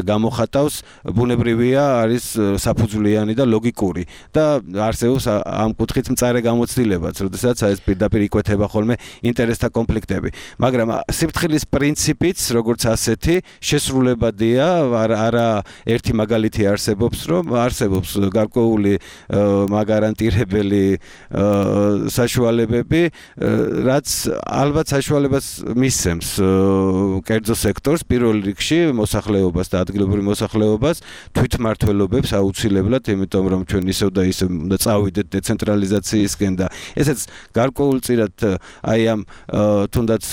გამოხატავს, ბუნებრივია არის საფუძვლიანი და ლოგიკური და არსებობს ამ კუთხით მწარე გამოცდილებაც, როდესაც ეს პირდაპირ იკვეთება ხოლმე ინტერესთა კონფლიქტები. მაგრამ სიფრთხილის პრინციპიც, როგორც ასეთი, შესრულებადია, არა ერთი მაგალითი არსებობს, რომ არსებობს გარკვეული მაგარანტირებელი საშუალებები, რაც ალბათ საშუალებას მისცემს კერძო სექტორს, პირველ რიგში მოსახლეობას და ადგილობრივ მოსახლეობას თვითმმართველობებს აუცილებლად, იმიტომ რომ ჩვენ ისევ და ისევ უნდა წავიდეთ დეცენტრალიზაციისკენ და ესეც გარკვეულწილად აი ამ თუნდაც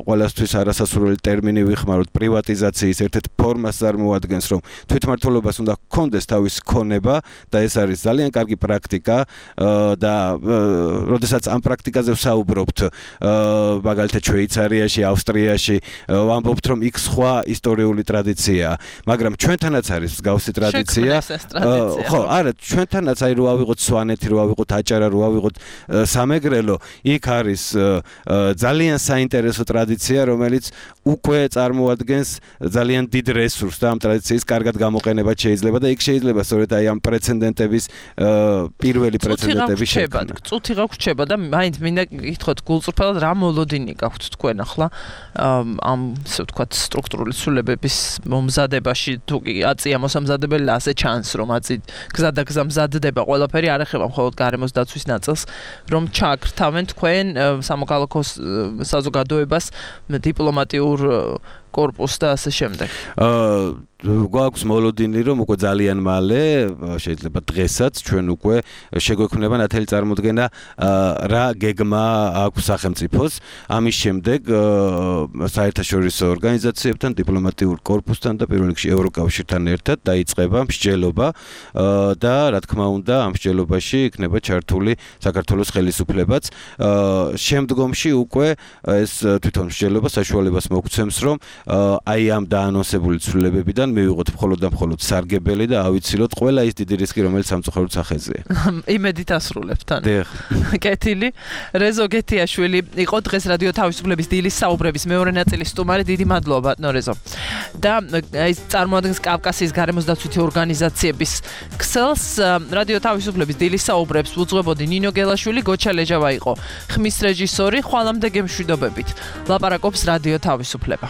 ყველასთვის არასასურველი ტერმინი ვიხმაროთ პრივატიზაციის ერთ-ერთ ფორმას წარმოადგენს, რომ თვითმმართველობას უნდა ჰქონდეს თავის ქონება და ეს არის ძალიან კარგი პრაქტიკა და როდესაც ამ პრაქტიკაზე ვსაუბრობთ მაგალითად შვეიცარიაში, ავსტრიაში ვამბობთ, რომ იქ სხვა ისტორიული ტრადიციაა, მაგრამ ჩვენთანაც არის მსგავსი ტრადიცია. ხო, არა, ჩვენთანაც აი რო ავიღოთ სვანეთი, რო ავიღოთ აჭარა, რო ავიღოთ სამეგრელო, იქ არის ძალიან საინტერესო ტრადიცია, რომელიც უკვე წარმოადგენს ძალიან დიდ რესურსს და ამ ტრადიციის კარგად გამოყენება შეიძლება და იქ შეიძლება სწორედ აი ამ პრეცედენტების პირველი პრეცედენტების შექმნა. წუთი გაგვრჩება და მაინც მინდა გითხოთ გულწრფელად რა მოლოდინი გაქვთ თქვენ ახლა ამ ისე ვთქვათ სტრუქტურული ცვლილებების მომზადებაში თუ კი აწია მოსამზადებელი ასე ჩანს რომ აწი გზადაგზა მზადდება ყველაფერი არ ეხება მხოლოდ გარემოს დაცვის ნაწილს რომ ჩააქრთავენ თქვენ სამოქალაქო საზოგადოებას დიპლომატიურ корпус და ასე შემდეგ. აა გვაქვს მოლოდინი რომ უკვე ძალიან მალე შეიძლება დღესაც ჩვენ უკვე შეგვექმნება ნათელი წარმოდგენა რა გეგმა აქვს სახელმწიფოს ამის შემდეგ საერთაშორისო ორგანიზაციებთან დიპლომატიურ корпуსთან და პირველ რიგში ევროკავშირთან ერთად დაიწყება მსჯელობა და რა თქმა უნდა ამ მსჯელობაში იქნება ჩართული საქართველოს ხელისუფლებაც შემდგომში უკვე ეს თვითონ მსჯელობა საშუალებას მოგცემს რომ აი ამ დაანონსებული ცვლილებებიდან მივიღოთ მხოლოდ და მხოლოდ სარგებელი და ავიცილოთ ყველა ის დიდი რისკი რომელიც სამწუხაროდ სახეზეა. იმედით ასრულებთ თან. კეთილი. რეზო გეთიაშვილი იყო დღეს რადიო თავისუფლების დილის საუბრების მეორე ნაწილის სტუმარი. დიდი მადლობა ბატონო რეზო. და ეს წარმოადგენს კავკასიის გარემოს დაცვითი ორგანიზაციების ქსელს რადიო თავისუფლების დილის საუბრებს უძღვებოდი ნინო გელაშვილი, გოჩა ლეჯავა იყო ხმის რეჟისორი. ხვალამდე გემშვიდობებით. ლაპარაკობს რადიო თავისუფლება.